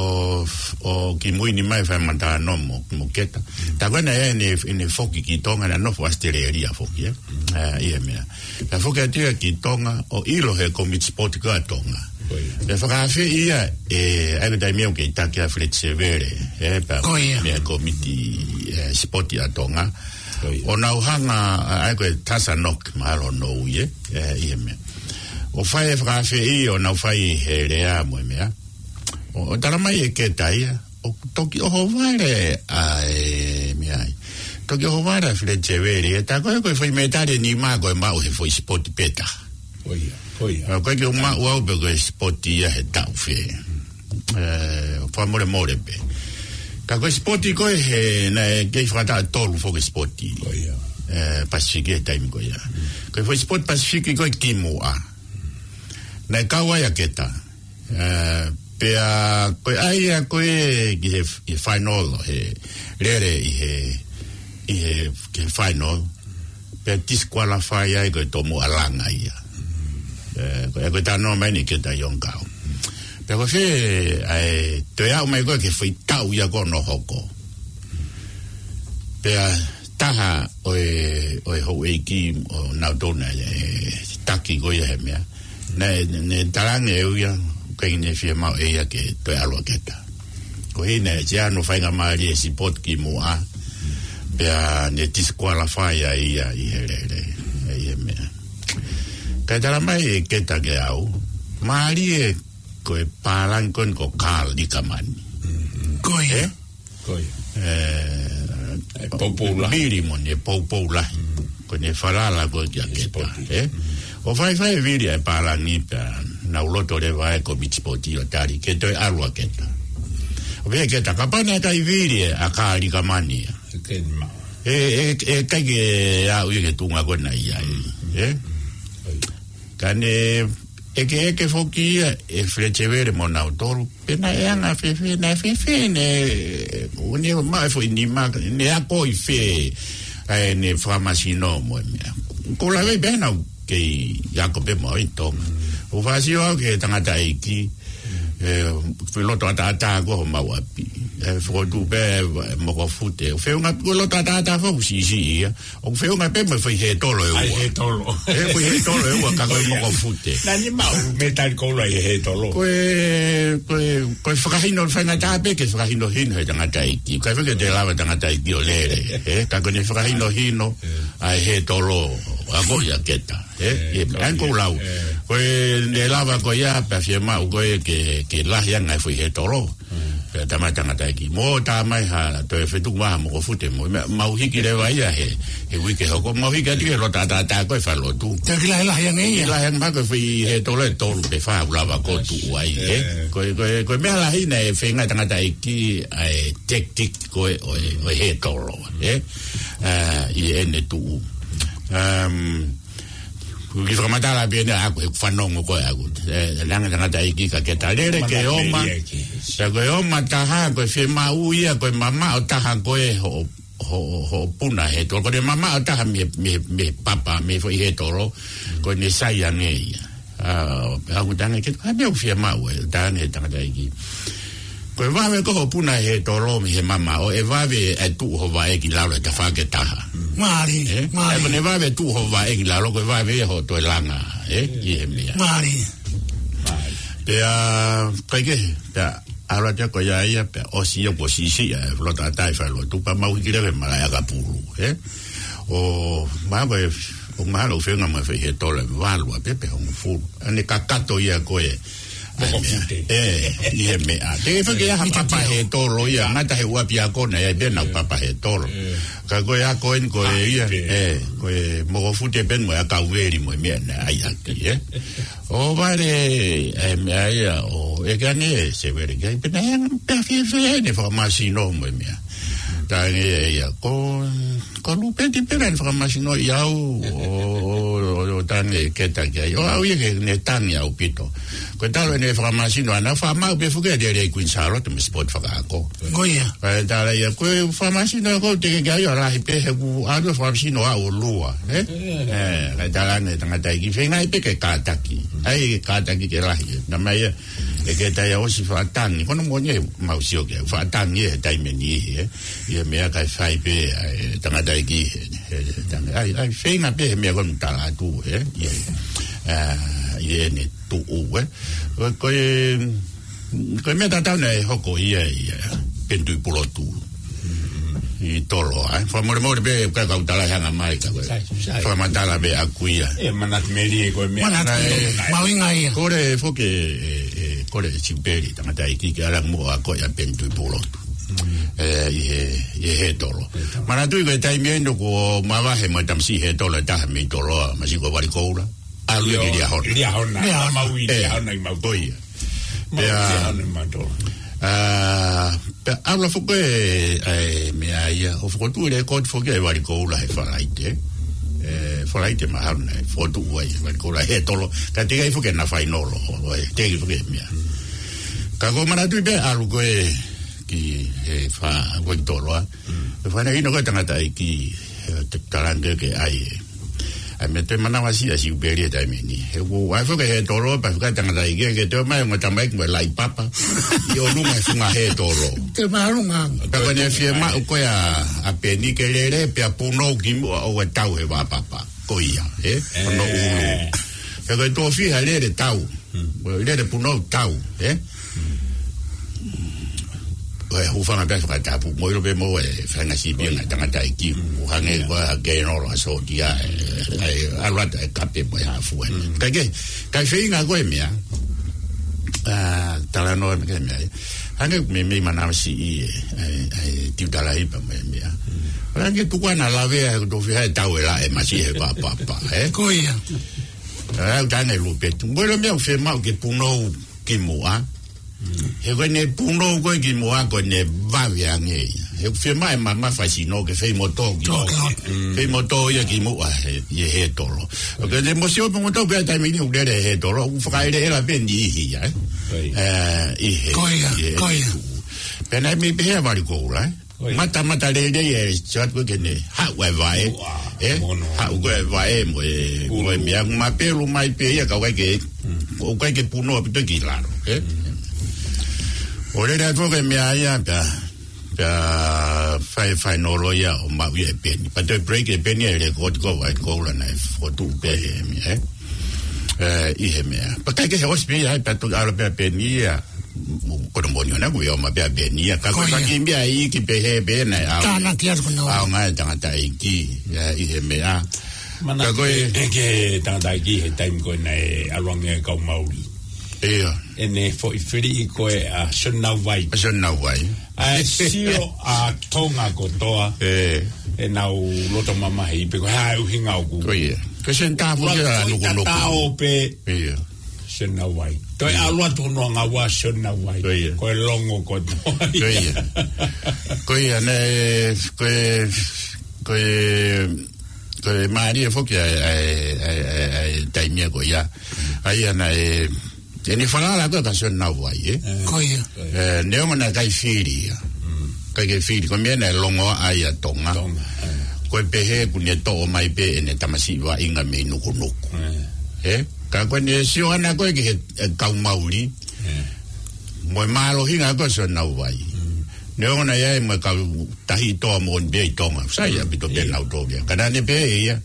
ʻo ki mui ni mai fai matano mo, mo Keta. Mm. Tā ko ē naʻe ʻi ai ʻene, ʻene foki ki Tonga, naʻe nofo ʻAositelēlia foki, ē? Mm. Ā, ʻi he meʻa. Naʻe foki atu ia ki Tonga, ʻo ʻilo he kōmiti sipoti ko ē ʻa Tonga. Ko ia. Pea fakaafeʻi ia, ē, ʻa ia ko e taimi ia ʻoku kei taki ʻa Fred Sevele, ē, pea Ko ia. Mei he kōmiti, ē, sipoti ʻa Tonga. Ko ia. ʻO nau hanga, ā, ʻa ia ko e Tazanok, mahalo hono ui, ē, ē, ʻi he meʻa. ʻO fai e fakaafeʻi, ʻo nau fai he lea mo e meʻa. ʻO, ʻo tala mai ʻe Keta ia, ʻoku toki ʻohovale ʻa e meʻa ai. Toki ʻohovale ʻa Fred Sevele, ē, tā ko ē ko e foʻi metali ʻe nima ko e maʻu he foʻi sipoti pē taha. Ko ia, ko ia. ʻOku ʻikai ke u maʻu au pe ko e sipoti ia he taʻu fē. Ē, fakamolemole pē. Ka ko e sipoti ko ē he, naʻe kei fakataha tolu foki sipoti. Ko ia. Ē, Pasifiki he taimi ko ia. Mm. Ko e foʻi sipoti Pasifiki ko ē kimuʻa. Naʻe kau ai ʻa Keta. Ā, pea ko e ʻai ia ko ē ki he, he final, he lele ʻi he, ʻi he, ki he final. Pea disqualify ai ko e tomuʻa langa ia. Ē, ko e, ko e talanoa mai eni Keta ʻi ʻOngkau. Pea ko fē, ʻa e, toe aʻu mai ko ē ki he foʻi taʻu ia ko ē naʻe hoko. Pea taha ʻo e, ʻo e houʻeiki ʻo nautolu naʻe, ē, taki ko ia he meʻa. Naʻe, naʻe talaange ʻe ia, ʻoku ʻikai ke ne fiemaʻu ʻe ia ke toe ʻalu ʻa Keta. Ko e ʻuhinga naʻe ʻi ai hano faingamālie he sipoti kimuʻa, pea ne disqualify ai ia ʻi he lele, ē, ʻi he meʻa. Kae tala mai ʻe Keta kiate au, mālie ko e pālangi ko eni ko Karl Likerman. Ko ia. Ē? Ko ia. Ē, ʻe poupou lahi. Vili mo ʻene poupou lahi. Mm. Ko ʻene falala ko ē kia Keta, ē? Mm. ʻO faifai e vili ʻa e pālangi pea nau loto leva e kōmiti sipoti ʻo tali ke toe ʻalu ʻa Keta. ʻO pehē ʻe Keta, kapau naʻe ʻikai vili ʻa Karl Likerman ia. Ke ma- ʻE, ʻe, ʻe ʻikai ke aʻu ia ki he tuʻunga ko ena ia, ē? Ka ne ʻekeʻeke foki ia ʻe Feleti Sevele mo nautolu, pe naʻe anga fēfē, naʻe fēfē, ne, ʻo ne maʻu e foʻi nima, ne ako ʻi fē, ʻa ʻene fakamasino mo e meʻa. Ko e lave pē naʻa ku kei ako pē mo au ʻi Tonga. ʻOku ou fakasio au ki he tangataʻeiki, ʻe, foʻi loto ʻataʻatā ko ē homau ʻapi. ʻE, fokotuʻu pē, ʻe, mokofute. ʻOku feʻunga, ko e loto ʻataʻatā foki ʻoku siʻisiʻi ia. ʻOku feʻunga pē mo e foʻi hētolo ʻe ua. ʻAi hētolo. ʻE, foʻi hētolo ʻe ua, ka ko e mokofute. Naʻa ne maʻu metali koula ʻi he hētolo. Ko e, ko e, ko e fakahinohino faingataʻa pē ke fakahinohino he tangataʻeiki. ʻIkai foki ke te lava tangataʻeiki ʻo lele, ē? Ka ko ʻene fakahinohino ʻa e hētolo, ʻa ko ia keta, ē? ʻE, ʻa ia ʻoku ou lau. Ko ʻene lava ko ia, pea fiemaʻu ko ē ke, ke lahi ange e foʻi hētolo. Pea tama tangataʻeiki. Mo tā mai ha, toe fetuku mai ha mokofute mo, ma, mau hiki leva ia he, he uike hoko. Mau hiki atu ki he loto ʻataʻatā ko ē falelotu. Te ki lahi lahi ange ia. Lahi ange mai ko e foʻi hētolo ʻe tolu pe fā ʻoku lava ko ē tuʻu ai, ē? Ko e, ko e, ko e meʻa lahi naʻe feinga tangataʻeiki ʻa e tactic ko ē ʻo e, ʻo e hētolo, ē? ʻA, ʻi heʻene tuʻu. Um, Ko e kiʻi fakamatala pē ena ʻaʻaku he ʻoku fanongo ko ē ʻaʻaku. ʻE, ʻe langa tangataʻeiki ka ke talele ke oma. Pea ko e oma taha, ko e fiemaʻu ia, ko e mamaʻo taha ko ē hoʻo, hoʻo, hoʻo puna hētolo. Ko ʻene mamaʻo taha mei, mei, mei papa, mei foʻi hētolo. Ko ʻene sai ange ia. ʻA, pea ʻoku tangi ke, ʻa e meʻa ʻoku fiemaʻu ē, tangi he tangataʻeiki. Ko e vave ko ē hoʻo puna hētolo mei he mamaʻo, ʻe vave ʻa e tuʻu ho vaʻe ki lalo he tafaʻaki ʻe taha. Mālie, ē? Mālie. ʻE, ko ʻene vave tuʻu ho vaʻe ki lalo, ko e vave ia hoʻo toe langa, ē? ʻI he meʻa. Mālie. Pea, kaikehe, pea, ʻalu atu ko ia ia, pea, ʻosi ia kuo siʻisiʻi ʻa e loto ʻataʻatā ʻi falelotu, pea mau hiki leva he malaʻe ʻakapulu, ē? ʻO, mahalo ko e, ʻoku mahalo ʻoku feʻunga mo e foʻi hētolo ʻe valu ʻa pē pe hongofulu. ʻA ʻene kakato ia ko ē. Mokofute. ʻE, ʻi he meʻa. Te ke fake ia ha papa hētolo ia, ngata he ʻū ʻapiako naʻe ʻi ai pē ʻenau papa hētolo. Ka ko e ako eni ko ē ia, ʻe, ko e mokofute pē mo e ʻakau veli mo e meʻa naʻe ʻai ʻaki, ē. ʻO vale, ʻe, meʻa ia, ʻo, ʻeke ange ʻe Sevele ki ai, pe naʻe anga pē fēfē ʻene fakamasino mo e meʻa. Tangi ia, ia, ko, ko Lupeti pē naʻa ne fakamasinoʻi au, ʻo, ʻo, ʻo, ʻo tangi keta ki ai. ʻO au ia ke ne tangi ʻaupito. Ko e talu ʻene fakamasino, ʻa ʻene fakamaʻu pē foki ʻa e lelei Queen Charlotte mei he sipoti fakaako. Ko ia. Kae tala ia, ko e fakamasino ko ē te ke ki ai ʻo lahi pē he ʻoku ʻalu fakamasino ʻaʻau ʻo lua, ē? ʻE, kae tala ange tangataʻeiki feinga ai pē ke kātaki. ʻAi ke kātaki ke lahi, ē. Naʻa mai ia, ʻe ke tai ʻosi fakatangi. Ko hono moʻoni ʻe mau sio ki ai, fakatangi he taimi ni, ē. ʻI he meʻa kae fai pē, ʻe, tangataʻeiki, ʻe, ʻe, tanga-, ʻai, ʻai, feinga pē he meʻa ko ē ʻoku tala atu, ē, ʻi he, ʻa, ʻi heʻene tuʻu, ē. Ko, ko e, ko e meʻa tatau naʻe hoko ia, ia, Penituʻi Pulotu. ʻI Toloa, ē. Fakamolemole pē, ka kau tala hanga mai, ka ko e. Sai, sai. Fakamatala pē ʻaʻaku ia. ʻE, manatu melie ko e meʻa. Manatu, ʻe, mahuʻinga ia. Kole foki, ʻe, ʻe, kole Siupeli, tangataʻeiki ke ʻalu ange muʻa ko ia Penituʻi Pulotu. ʻE, ʻi he, ʻi he hētolo. Manatuʻi ko e taimi eni ʻoku mavahe mo e tamasiʻi hētolo ʻe taha mei Toloa, masiʻi ko Valikoula. ʻAlu ia ki Liahona. Liahona. Liahona. Mau ʻi Liahona ʻi mau. Ko ia. Mau ʻi Liahona ʻi mau Toloa. ʻA, pea ʻalu foki ʻe, ʻa e meʻa ia, ʻo fokotuʻu e lēkooti foki ʻe Valikoula he Falaite. ʻE, Falaite mahalo naʻe fokotuʻu ai ʻe Valikoula hētolo. Ka teʻeki ai foki naʻa fainolo, ʻo, ʻe, teʻeki foki meʻa. Ka ko e manatuʻi pē ʻalu ko ē ki he fa-, ko ē ki Toloa. ʻE fana ino ko e tangataʻeiki, ʻe, te talanga ke ʻai ē. ʻAi meʻa te manavasiʻi ʻa Siupeli he taimi ni. He ʻoku ʻai foki hētolo, pea fika tangataʻeiki ke toe mai mo e tamaiki mo e laʻi papa. ʻI ʻolunga he funga hētolo. Te mālunga. Pea ko ʻene fiemaʻu ko ē ʻa, ʻa Peni ke lele, pea punou kimuʻa ʻo ʻe tau he vaʻa papa. Ko ia, ē? Hono ʻulu. Pea ko e tofiʻa lele tau. Mo e lele punou tau, ē? Ko e hūfanga pē fakatapu, mo ʻilo pē mo e fanga sipi ʻa e tangataʻeiki, ʻo hangē ko e keinolo ʻa e sōtia, ʻe, ʻe, ʻalu atu ʻe kape mo e hafu ē. Kaikehe, kae feinga ko e meʻa, ʻa, talanoa meʻa ke meʻa, ē. Hangē ko e meʻa mei manavasiʻi ē, ʻa e, ʻa e Tiutalahipa mo e meʻa. Hangē tuku ʻana lavea he ko e tofiʻa he tau ʻe laʻe masiʻi he vaʻa papa, ē? Ko ia. ʻA, ʻoku tangi Lupeti. Mo e ʻilo meʻa ʻoku fiemaʻu ke punou kimuʻa. He ko ʻene punou ko ē kimuʻa ko ʻene vave ange ia. He ʻoku fiemaʻu e mamafa e sino ke feimoutolu ki Tō, loto. Tō. Feimoutolu ia ki muʻa he, ʻi he tolo. ʻOku ke te mo sio pē moutolu pē taimi ni ʻoku lele he tolo. ʻOku fakaʻeleʻela pē niʻihi ia, ē? Ko ia. Ē, ʻi he, Ko ia, ʻi he ko ia. Pea naʻe mei pehē ʻa Vali Koula, ē? Ko ia. Mata, mata lelei e sio atu ko ē ke ne haʻu e vaʻe, Ua, ē? mono. Haʻu ko ē vaʻe mo e, mo e Ulu. meʻa, mapelu mai pē ia ka ʻoku ʻikai ke, Mm. ʻoku ʻikai ke punou ʻaupito ki lalo, ē? Mm. ʻO lele atu ko ē meʻa ia pea Pea fai, fai nolo ia ʻo maʻu ia e peni. Pea toe break e peni e lēkooti ko ē ʻa Koula naʻe fokotuʻu pē he meʻa, ē? Ē, ʻi he meʻa. Pea ʻikai ke he ʻosi pē ia, pea toki ʻalu pē ʻa peni ia. Ko e moʻoni ʻona kuo ʻomai pē ʻa peni ia. Ka ko Ko ia. faki meʻa iiki pē he pē naʻe ʻaonga. Tānaki atu ko ē. ʻAonga e tangataʻeiki, ē, ʻi he meʻa. Mana Ka ko e ʻe, ʻe ke tangataʻeiki he taimi ko ē naʻe ʻalu ange e kau Mauli. Ia. ʻEne foʻi fili ko ē ʻa Sione Nauvai. ʻA Sione Nauvai. ʻA e sio ʻa Tonga kotoa. Ē. ʻEnau loto mamahi pē ko e hā e ʻuhinga ʻoku. Ko ia. Ko Sione Tapu Ua kia ko e Nukunuku. tatao pē. Ia. Sione Nauvai. Toe Ia. ʻalu atu hono anga ua Sione Nauvai. Ko ia. Ko e longo kotoa. Ko ia. Ko ia, naʻe, ko e, ko e, ko e mālie foki ʻa e, ʻa e, ʻa e, ʻa e, ʻa e taimi ko ia. ʻA ia naʻe, ʻene falala ko ē kia Sione Nauvai, ē? Ē. Ko ia. Ē, neongo naʻe ʻikai fili ia. Mm. ʻIkai ke fili, ko e meʻa naʻe longoaʻa ai ʻa Tonga. Tonga, ē. Ko e pehē kuo ne toʻo mai pē ʻene tamasiʻi vaʻinga mei Nukunuku. Ē. Ē? Ka ko ʻene sio ʻana ko ē ki he, e kau Mauli. Ē. Mo e mālohinga ko ē ʻo Sione Nauvai. Mm. Neongo naʻe ʻi ai mo e kau Tahi Toa moʻoni pē ʻi Tonga. Sai ʻaupito pē Ia. ʻenau tō ia. Ka naʻa ne pehē ia,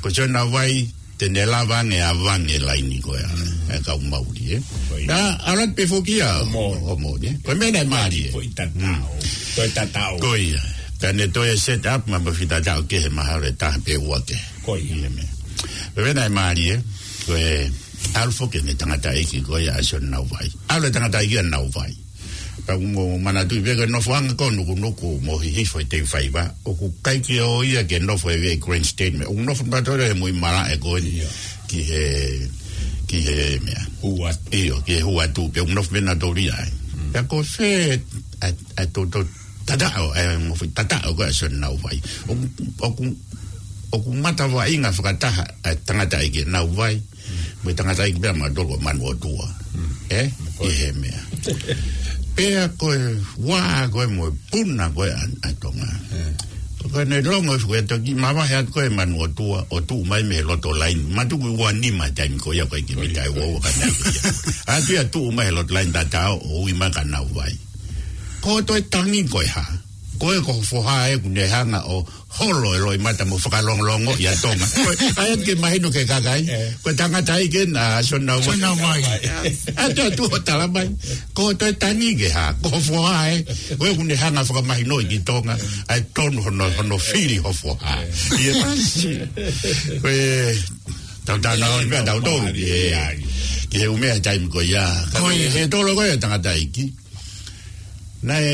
ko Sione Nauvai, te ne lava ange ʻo ʻave ange e laini ko ē ʻa, Mm. e kau Mauli, ē. Ko ia. Naʻe ʻalu atu pē foki ia, ʻo mo. ʻo mo, ē. Ko e meʻa naʻe mālie. Ko e tatao. Mm. Ko e tatao. Ko ia. Pea ne toe set up mai mo e fita tatao kehe mahalo ʻe taha pe ua kehe. Ko ia. ʻI he meʻa. Ko e meʻa naʻe mālie, ko e ʻalu foki ʻene tangataʻeiki ko ia ʻa Sione Nauvai. ʻAlu e tangataʻeiki ʻa Nauvai. Pea ʻoku ou manatuʻi pē ko e nofoʻanga ko ē ʻo Nukunuku mo Hihifo ʻi he teu faiva. ʻOku ʻikai ke ʻoua ia ke nofo he veʻe grandstand meʻa. ʻOku nofo nautolu he muimalaʻe ko ē Ia. ki he, ki he meʻa. Hū atu. ʻIo, ki he hū atu. Pea ʻoku nofo pē nautolu ia ai. Mm. Pea ko fē ʻa, ʻa e toutou tataʻo, ʻa e mo e foʻi tataʻo ko ē ʻa Sione Nauvai. ʻOku, ʻoku, ʻoku matavaʻinga fakataha ʻa e tangataʻeiki ʻa Nauvai. Mo e tangataʻeiki pea mautolu ʻo Manuʻotua. Mm. Ē? Ko ʻI ia. he meʻa. Pea ko e ua ko ē mo e puna ko ē ʻa, ʻa Tonga. Ē. Ko ʻene longo ʻi he ko e toki mavahe atu ko ē Manuʻotua, ʻo tuʻu mai mei he loto laini. Matuku ua nima taimi ko ia ko e ki Ko ia. mita e ua ua ka nau ia. ʻAtu ia tuʻu mai he loto laini tatao, ʻo ui mai kia Nauvai. Ko e toe tangi ko e hā. Ko e ko ho foha ē kuo ne hanga ʻo holo e loʻimata mo fakalongolongo ʻia Tonga. Ko e, ʻai atu ke mahino ki he kakai. Ē. Ko e tangataʻeiki ena ʻa Sione Nauvai. Sione Nauvai. ʻAtu atu ʻo tala mai. Ko e toe tangi ki he hā. Ko ho foha ē. Ko e kuo ne hanga fakamahinoʻi ki Tonga. ʻA e tonu hono, hono fili ho foha. ʻI he pasi. Ko e tau tana on pea tau tau. Ē. Ki he ʻumea taimi ko ia. Ko ia. He tolo ko e tangataʻeiki. Naʻe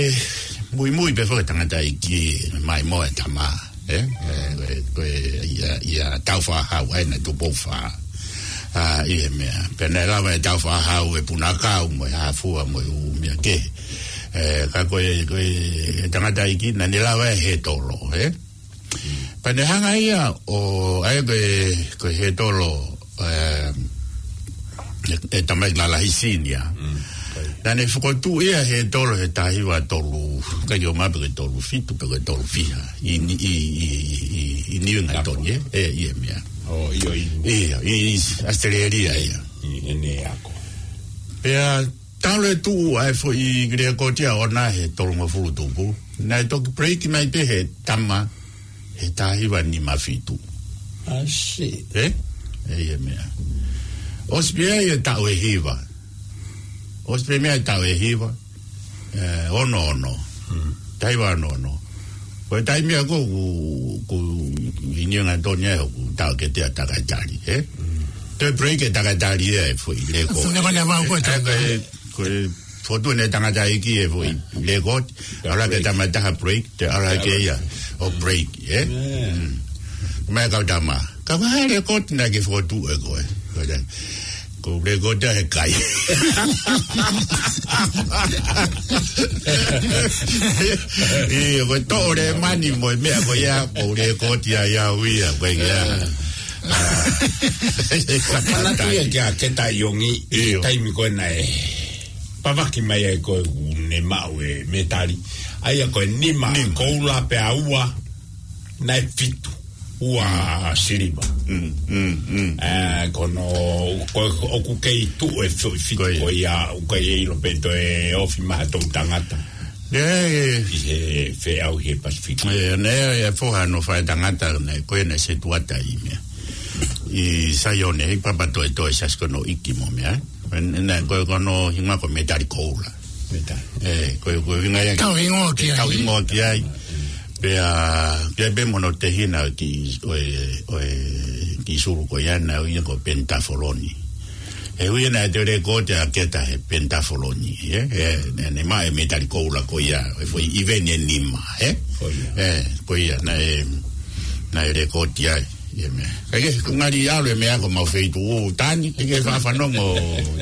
muimui pē foki e tangataʻeiki mai mo e tama, ē? Ē, ko e, ko e ia, ia Tāufaʻāhau ai naʻe Tupou Fā. ʻA, ʻi he meʻa. Pea naʻe lava ʻe Tāufaʻāhau e puna kau mo e hā fua mo e ʻū meʻa kehe. Ē, ka ko e, ko e tangataʻeiki naʻa ne lava ʻe he tolo, ē? Pea ne hanga ia ʻo, ʻa ia ko e, ko e he tolo, ē, ʻe, ʻe Tamaiki Lalahi Senior. Mm, ko ia. Naʻa ne fokotuʻu ia he tolo he taha hiva tolu, ʻikai ke ʻomai pē ko e tolu fitu pe ko e tolu fiha. ʻI, ʻi, ʻi Niu Hinga Toni, ē? ʻIo, ʻi he meʻa. ʻO, ʻio, ʻi. ʻIo, ʻi, ʻi ʻAositelēlia ia. ʻI, ʻene ako. Pea talu e tuʻu ʻa e foʻi lēkooti ʻoʻona he tolungofulu tupu. Naʻe toki break mai pē he tama he taha hiva nima fitu. I see. Ē? ʻE, ʻi he meʻa. ʻOsi pē ia taʻu ʻe hiva. ʻOsi pē meʻa taʻu ʻe hiva. Ē, ono ono. Hmm. Taha hiva ono ono. Ko e taimi ia ko ē ʻoku, ʻoku ʻi Niu Hinga Toni ai ʻoku taʻokete ʻa Takaitali, ē? Hmm. Toe break e Takaitali ē, foʻi lēkooti. Funekonea vau ko e Ē, ko e, ko e fotu ne tangataʻeiki e foʻi lēkooti. Ē, ʻalu hake break. Tama taha break, toe ʻalu hake ia ʻo break, ē? Ē. Hmm. Mai kau tama. Ka ko e hā e lēkooti naʻa ke fokotuʻu ʻe koe? Ko e Ko e lekooti ia he kai. ʻIo, ko e toʻo lēmani mo e meʻa ko ia, ko e lekooti ia ʻa ia ʻo ia, ko ia. Manatu ia kia Keta ʻIongi, ʻio, taimi ko ē naʻe pāvaki mai ai ko ē ʻoku ne maʻu e mētali. ʻA ia ko e nima, nima koula pea ua, naʻe fitu ua siliva. Mm, mm, mm. Eh, ko hono, ko, ʻoku kei tuʻu e fo-, fitu ko ia, ʻoku ʻikai ʻilo pe toe ofi mai ha toʻu tangata. ʻIo, ʻio. ʻI he feʻauhi he Pasifiki. ʻIo, naʻe, ʻe foha hono faʻētangata, naʻe, ko ē naʻe setuata ʻi meʻa. ʻI Saione, ʻi Papatoetoe, Siasi ko hono ʻEiki mo meʻa. Naʻe, ko, ko hono hingoa ko Mētali Koula. Mētali. Eh, ko, ko e hingoa ia. Tau hingoa ki ai. Tau hingoa ki ai. Pea, pea pē mo hono tehina ki, ʻo e, ʻo e, ki sulu ko ia naʻe ui ia ko Pentafoloni. ʻE ui ia naʻe toe lekooti ʻa Keta he Pentafoloni, ē? ʻE, ne, ne maʻu e mētali koula ko ia, ʻi he foʻi ʻiveni ʻe nima, ē? Ko ia. Ē, ko ia, naʻe, naʻe lekooti ai, ʻi he meʻa. Kae kehe, ko e ngali ʻalu e meʻa ko homau feituʻu tani, ke ke faʻa fanongo,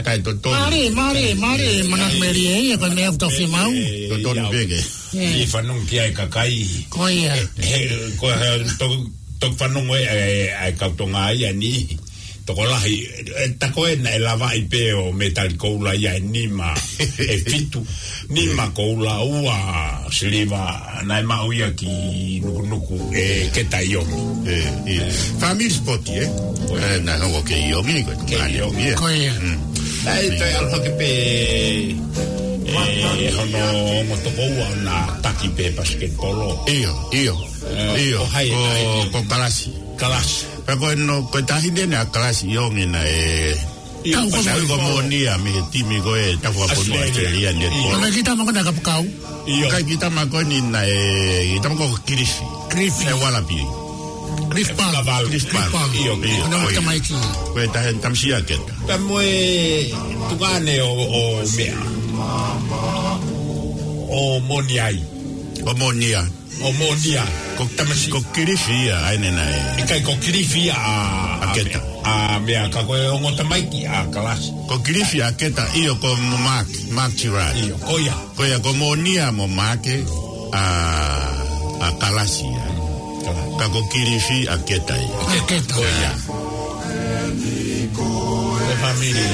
taʻe totonu. Mālie, mālie, mālie, manatu melie, ʻa ia ko e meʻa ʻoku tau fiemaʻu. Totonu pē ke. ʻE fanongo ki ai e kakai. Ko ia. He, ko e, to, to fanongo e, e, e kau Tonga ia ni. Tokolahi, e, tā ko ē naʻe lavaʻi pē ʻo mētali koula ia ʻe nima, ʻe fitu, nima koula, ua siliva, naʻe maʻu ia ki Nukunuku, ʻe Keta ʻIongi. ʻE, ʻio. Family sport, ē? Ko ia. ʻE, naʻe hoko ko Keta ʻIongi, ko Keta ʻIongi, ē? Ko ia. Mm. ʻAi, toe ʻalu hake pē, ʻe, hono ongo tokoua naʻe taki pē basketball. ʻIo, ʻio. ʻIo, ko hai ko, ko Kalasi. Kalasi. Pea ko hono, ko e taʻahine ʻa Kalasi ʻIongi naʻe, ʻio, ko Moʻonia mei he timi ko ē Tafuʻafonua ʻAositelēlia. ʻAositelēlia, ʻio. Ko e kiʻi tama ko ē naʻe kapakau. ʻIo. Ko e kiʻi tama ko eni naʻe, kiʻi tama ko Kilifi. Kilifi. ʻE Ualapi. Cliff Park. Cliff Park. Cliff Park. ʻIo, ʻio. Ko hono tamaiki. Ko e taʻahine tamasiʻi ʻa Keta. Pea mo e tukaʻane ʻo, ʻo meʻa. ʻO Moʻonia. ʻO Moʻonia. ʻO Moʻonia. Ko, tamasiʻi. Ko Kilifi ia, ʻa ʻene naʻe. ʻIkai ko Kilifi ia ʻa, ʻa Keta. ʻA meʻa ka ko e ongo tamaiki ʻa Kalasi. Ko Kilifi ʻa Keta, ʻio ko Mark, Mark Girard. ʻIo, ko ia. Ko ia ko Moʻonia mo Maake, ʻa, ʻa Kalasi ia. Kalasi. Ka ko Kilifi ʻa Keta ia. ʻA Keta. Ko ia. Ko e family.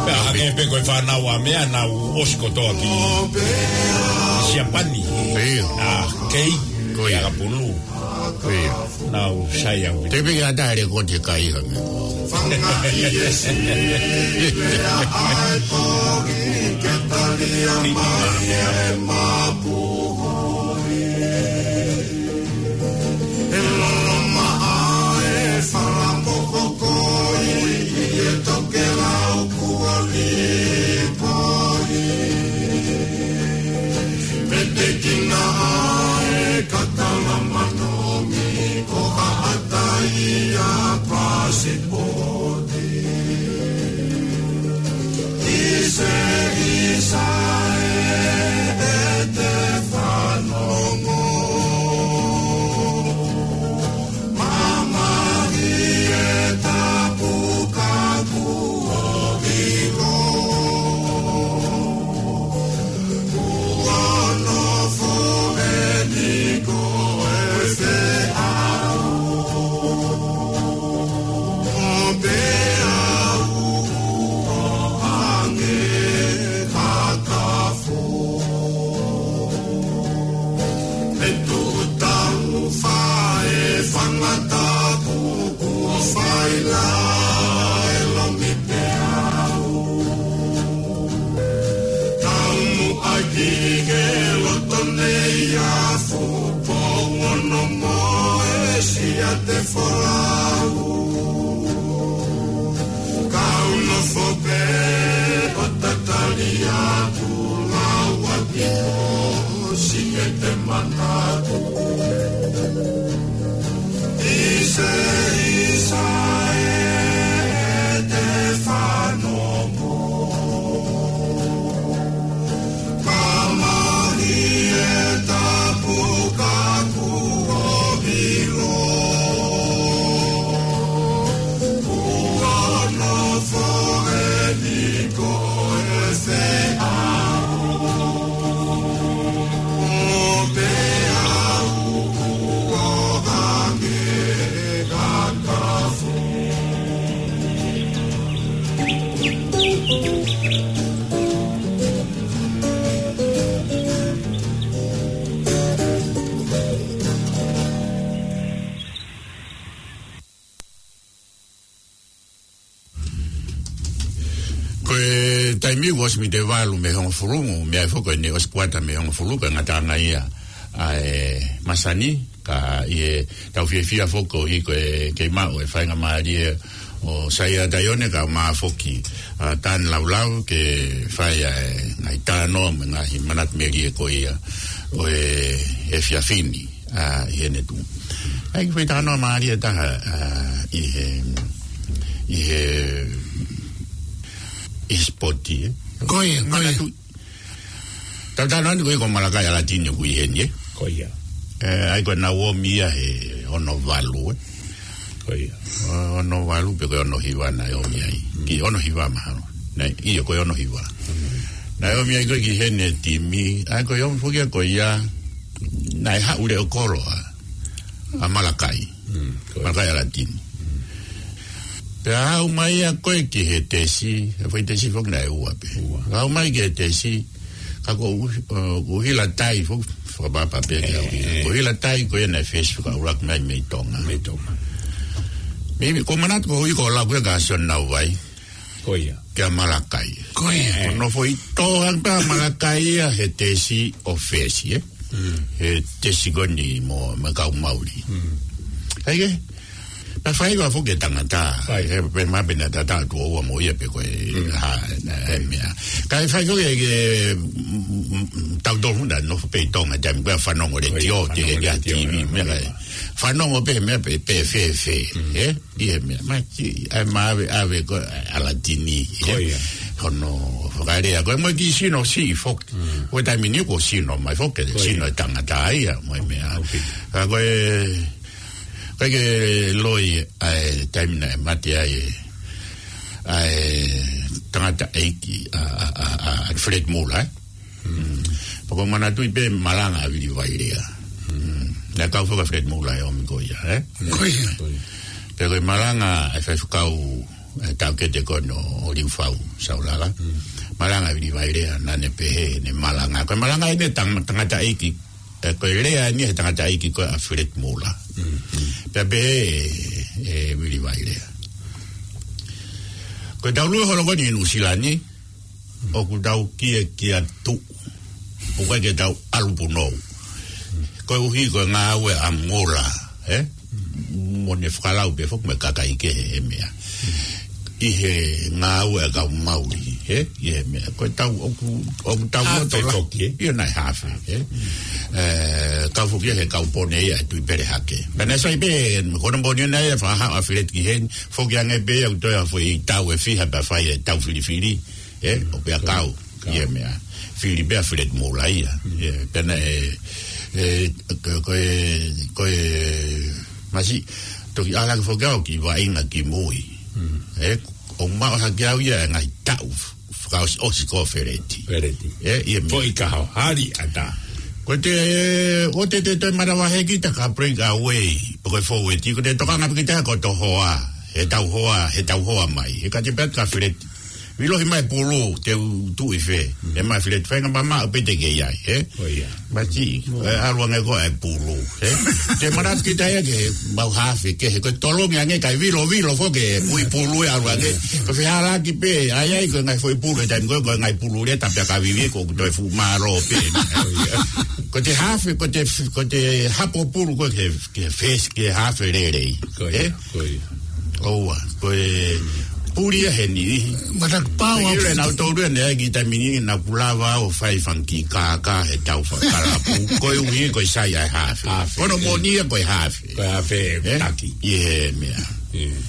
Pea hangē pē ko e fānau ʻa meʻa naʻa nau ʻosi kotoa ki Siapani. ʻIo. ʻA Kei. Ko ia. Pea ka pulu. ʻIo. Nau sai au. Te piki ata are ko te kai ha me. Petekina ʻa e katala manomi ko haʻata ia pasipoti. ʻIse, ʻisa ē, ʻe te fanongo. Mamahi e tapu ka kuo ʻilo. Kuo nofo eni ko e feʻauhi. Pea u ʻo ange kakafu. Pea tuʻu tau fae fangatapu kuo fai la e lomi peau. Tau muʻa ki he loto nei a fupo ono mo e siate folau. Kau nofo pē ʻo tatali atu lau ʻaki ʻo siʻete manatu. ʻIse, ʻisa ē, ʻe te fanongo. Mamahi e tapu ka kuo ʻilo. Taimi ʻoku ʻosi mite valu mei hongofulu, meʻa foki ʻene ʻosi kuata mei hongofulu, ko e ngataʻanga ia ʻa e masani, ka ʻi heʻetau fiefia foki ʻi he ko e kei maʻu e faingamālie ʻo Saia Taione kae ʻumaʻā foki ʻa Tane Laulau ke fai ʻa e ngaahi talanoa mo e ngaahi manatu melie ko ia ʻo e efiafi ni ʻa ʻi heʻene tuʻu. ʻAi ke fai talanoa mālie ʻe taha ʻa ʻi he, ʻi he, ʻi he sipoti, ē? Ko ia, ko ia. Manatu, tau talanoa ni ko ia ko Malakai ʻAlatini ʻoku ʻi heni, ē? Ko ia. ʻE, ʻai ko e nau ʻomi ia he ono valu, ē? Ko ia. Ono valu pe ko e ono hiva naʻe ʻomi ai. Ki ono hiva mahalo. Naʻe, ʻio ko e ono hiva. Naʻe ʻomi ai ko ē ki heni e timi, ʻai ko e ʻomi foki ia ko ia, naʻe haʻu leʻo kolo ʻa, ʻa Malakai. Mm, ko ia. Malakai ʻAlatini. Pea haʻu mai ia ko ē ki he tesi, he foʻi tesi foki naʻe ua pē. Ua. Haʻu mai ki he tesi, ka ko u-, ʻo, ko Hila Tai foki, fakapapau pē ki au. ʻE, ʻe. Ko Hila Tai ko ia naʻe fesi fakaʻuluaki mai mei Tonga. Mei Tonga. Mimi, ko manatu ko ui ko lau ko ē kia Sione Nauvai. Ko ia. Kia Malakai. Ko ia. Ko hono foʻi tō hangē pē ʻa Malakai ia he tesi ʻo fesi, ē? Mm. He tesi ko eni mo, mo e kau Mauli. Mm. ʻAi ke? Naʻe fai ua foki e tangata. Fai. He, pe ma pe na tata tu ua mo ia pe ko e, mm, ha, na, e meʻa. Kae fai foki e ke, mm, mm, mm, tau tolu na nofo pē ʻi Tonga, taimi ko ē fanongo letiō, fanongo te ke letiō, T V, meʻa, meʻa. Fanongo pē, meʻa pē, pē, fē, fē, mm, ē? ʻI he meʻa, ma ki, ʻai ma ʻave, ʻave ko ē ʻAlatini, ko ia. Hono fakalea, ko e mo e kiʻi sino siʻi foki. Mm. Ko e taimi ni ko e sino mai foki, ko ia. Sino e tangata ia, mo e meʻa. Ok. Ka ko e, ka ke loi, ʻa e taimi naʻe mate ai, ʻa e tangata ʻeiki, ʻa, ʻa, ʻa, ʻa Fred Muller, ē? Mm. Pea ko e manatuʻi pē malanga ʻa Vili Vailea. Mm. Naʻe kau foki ʻa Fred Muller ʻi he ʻomi ko ia, ē? Ko ia. Pea ko e malanga ʻa e faifekau, ʻa e taukete ko eni ʻo Liufau Saulala. Mm. Malanga ʻa Vili Vailea naʻa ne pehē ʻene malanga. Ko e malanga ʻene tang-, tangata ʻeiki, ē, ko e lea ʻeni he tangata ʻeiki ko ē ʻa Fred Muller. Mm. Pea pehē ʻe, ʻe Vili Vailea. Ko ʻetau lue holo ko eni ʻi Nuʻusila ni, ʻoku tau kiʻi, kiʻi tuʻu. ʻOku ʻikai ke tau ʻalu punou. Koeʻuhi ko e ngāue ʻa Muller, ē? Mo ʻene fakalau pē foki mo e kakai kehe he meʻa. ʻI he ngāue ʻa e kau Mauli, ē? ʻI he meʻa. Ko ʻetau, ʻoku, ʻoku tau hafe loto la-, foki, ē? ʻIo naʻe hafe, ē? Ē, kau foki he kau pone ia ʻa e Tuʻipelehake. Pea naʻe sai pē, ko hono moʻoni naʻe fakahaʻu ʻa Fred ki heni, foki ange pē ia ʻoku toe ʻa foʻi tau ʻe fiha pea fai e tau filifili. Ē, ʻo pea kau, kau. ʻI he meʻa. Fili pē ʻa Fred Muller ia. Mm. Ē, pea naʻe, ē, ko, ko e, ko e, masiʻi, toki ʻalu ange foki au ki vaʻinga ki mui. Mm. Ē, ʻo maʻu hake au ia e ngaahi taʻu, fakaʻosi, ʻosi ko Feleti. Feleti. Ē, ʻi he meʻa. Foʻi kaho, hali ata. Ko te, ʻo te, te, te manavahē kita ka break away, pe ko e forward, ko te tokanga pē kita ko ʻetau hoa, ʻetau hoa, ʻetau hoa mai. He ka te pehē atu kia Feleti. Vilohi mai pulu, te u tuʻu ʻi fē. Mm. ʻE ma file, faingamālie pē te ke ʻi ai, ē? ʻO ia. Masiʻi, ʻo. ʻE ʻalu ange ko e pulu, ē? Te manatu kita ia ke mau hafe, ke he ko e tolongi ange kae vilo, vilo foki e ui pulu ʻe ʻalu ange. Ko e fehālaaki pē, ʻai ai ko e ngaahi foʻi pulu, ʻe taimi ko e, ko e ngaahi pulu lea tapu ʻa e kavivi, ko e toe fuʻu mālō pē. ʻO ia. Ko te hafe, ko te, ko te hapo pulu ko e ke, ke fesi, ke hafe lelei. Ko ia. Ē? Ko ia. ʻOua, ko e puli ia heni. Manatu pau au. Pea ʻi he naʻa tau lue ʻanenai ki he taimi ni naʻa ku lava ʻo fai fanga kiʻi kākā he tau fakalapu. Koeʻuhi ko e sai ʻa e hafe. Hafe. Ko hono moʻoni ia ko e hafe. Ko e hafe, ē? Taki. ʻI he meʻa. ʻIo.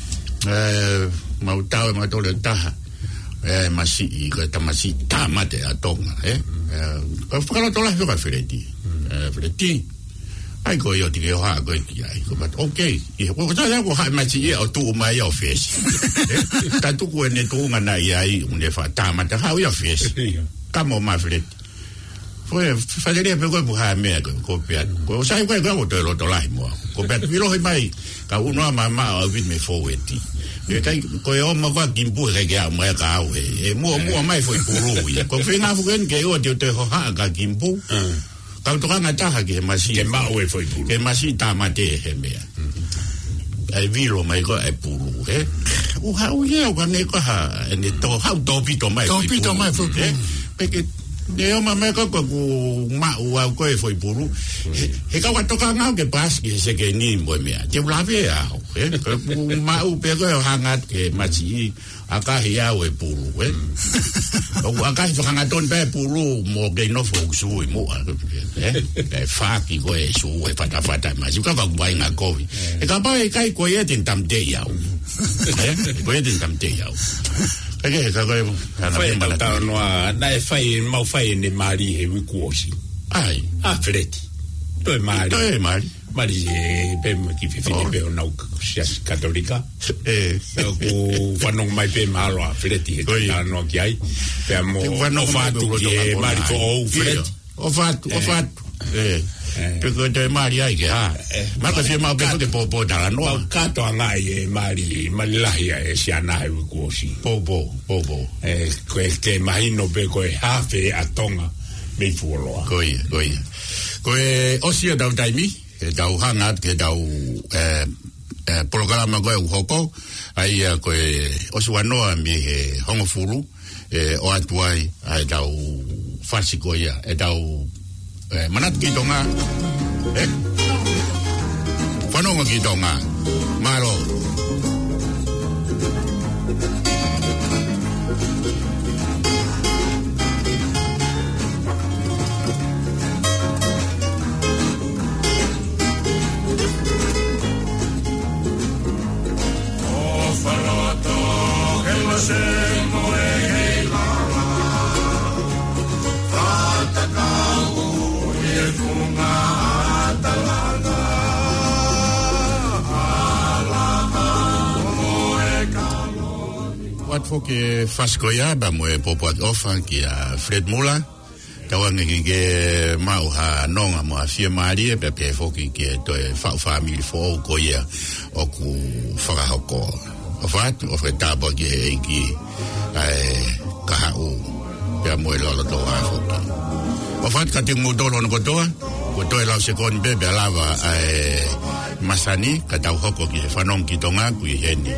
Ē, mau tau ʻe mau tole taha. Ē, masiʻi, ko e tamasiʻi tāmate ʻa Tonga, ē? Ē, ko e fakalotolahi ko ē kia Feleti. Ē, Feleti. ʻAi ko e ʻio tiki o ha ko e ki ai. Ko pat, ok. ʻI he, ko, ko tā ko ha masiʻi ia ʻo tuʻu mai ʻo fesi. Ē, tā tuku ʻene tuʻunga naʻe ʻi ai, ʻo ne fakatāmate haʻu ia ʻo fesi. ʻIo. Ka mo ma Feleti. Ko e, fakalea pē ko e puha meʻa ko, ko pea. Ko sai ko e ko e toe lotolahi mo. Ko pea vilohi mai, ka ʻunu ʻa mama ʻo vit me forward. ʻIkai, ko e ʻomai ko ē Kimpu he ʻikai ke ʻomai ka au he. ʻE muʻomuʻa mai foʻi pulu ia. Ko e feinga foki eni ke ʻoua te u toe hohaʻa kia Kimpu. Mm. Kau tokanga taha ki he masiʻi. Ke maʻu e foʻi pulu. Ke masiʻi tāmate he meʻa. Mm. ʻAi vilo mai ko e pulu, ē? ʻOku haʻu ia, ʻoku ʻange ko ha, ʻene tō, haʻu tōpito mai. Tōpito mai foʻi pulu. Pē ke, ne ʻomai mai ko ē ʻoku maʻu au ko ē foʻi pulu. He, he kau ka tokanga au ke paasi ki he sekeni mo e meʻa. Te u lave au, ē? Ka ʻoku maʻu pē ko ē ʻo hanga atu ke mati ʻi, ʻakahi au e pulu, ē? ʻOku ʻakahi fakahangatonu pē pulu mo ke nofo ʻoku sui muʻa, ē? ʻE faki ko ē sui e fatafata masi, ka ʻoku vaʻinga kovi. He kapau ʻe ʻikai ko ia te ne tāmateʻi au. Ē? Ko ia te ne tāmateʻi au. Ka ke, ka ko e, ka na Fai pē tau mana tau noa, naʻe fai, mau fai ʻene mali he uike kuo ʻosi. ʻAi. ʻA Feleti. Toe mali. Toe mali. Mali e pē mo e kiʻi fefine pē ʻo nau ka-, siasi Katolika. ʻE. Pea ʻoku fanongo mai pē mahalo ʻa Feleti he tau noa ki ai. Pea mo Te fanongo mai ʻofa atu pē ki he mali foʻou Feleti. ʻOfa atu, ʻofa atu. ʻE. Pe ko e toe mali ai ke hā. Maka fie mau pē ke pōpō talanoa. Mau kātoa ngai e mali, mali lahi ʻa e siana he uike kuo ʻosi. Pōpō, pōpō. ʻE, ko e ke mahino pē ko e hafe ʻa Tonga mei fuoloa. Ko ia, ko ia. Ko e ʻosi ʻetau taimi, ʻetau hanga atu ki heʻetau, ʻe, ʻe, polokalama ko ē ʻoku hoko, ʻa ia ko e ʻosi ua noa mei he hongofulu, ʻe, ʻoatu ai, ʻa ʻetau fasi ko ia, ʻetau, ʻe, manatu ki Tonga, ʻe, fanongo ki Tonga, mālō. ʻOatu foki e fasi ko ia, pea mo e pōpoaki ʻofa kia Fred Muller. Tauange ke ke maʻu ha nonga mo ha fiemālie, pea pehē foki ki he toe faʻu fāmili foʻou ko ia ʻoku fakahoko. ʻOfa atu, ʻofa ke tāpuaki ʻe he ʻEiki ʻa e kahaʻu, pea mo e lolotonga foki. ʻOfa atu kiate kimoutolu hono kotoa, ko e toe lau sekoni pē, pea lava ʻa e masani, ka tau hoko ki he fanongo ki Tonga, ʻoku ʻi heni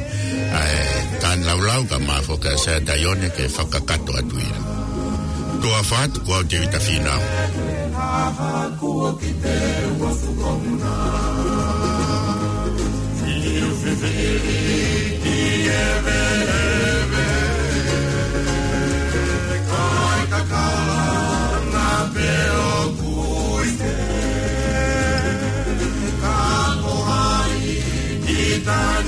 ʻa e Tāne Laulau, kae ʻumaʻā foki ʻa Sea Taione ke fakakakato atu ia. Tuʻa ʻofa atu, ko au Tēvita Fīnau.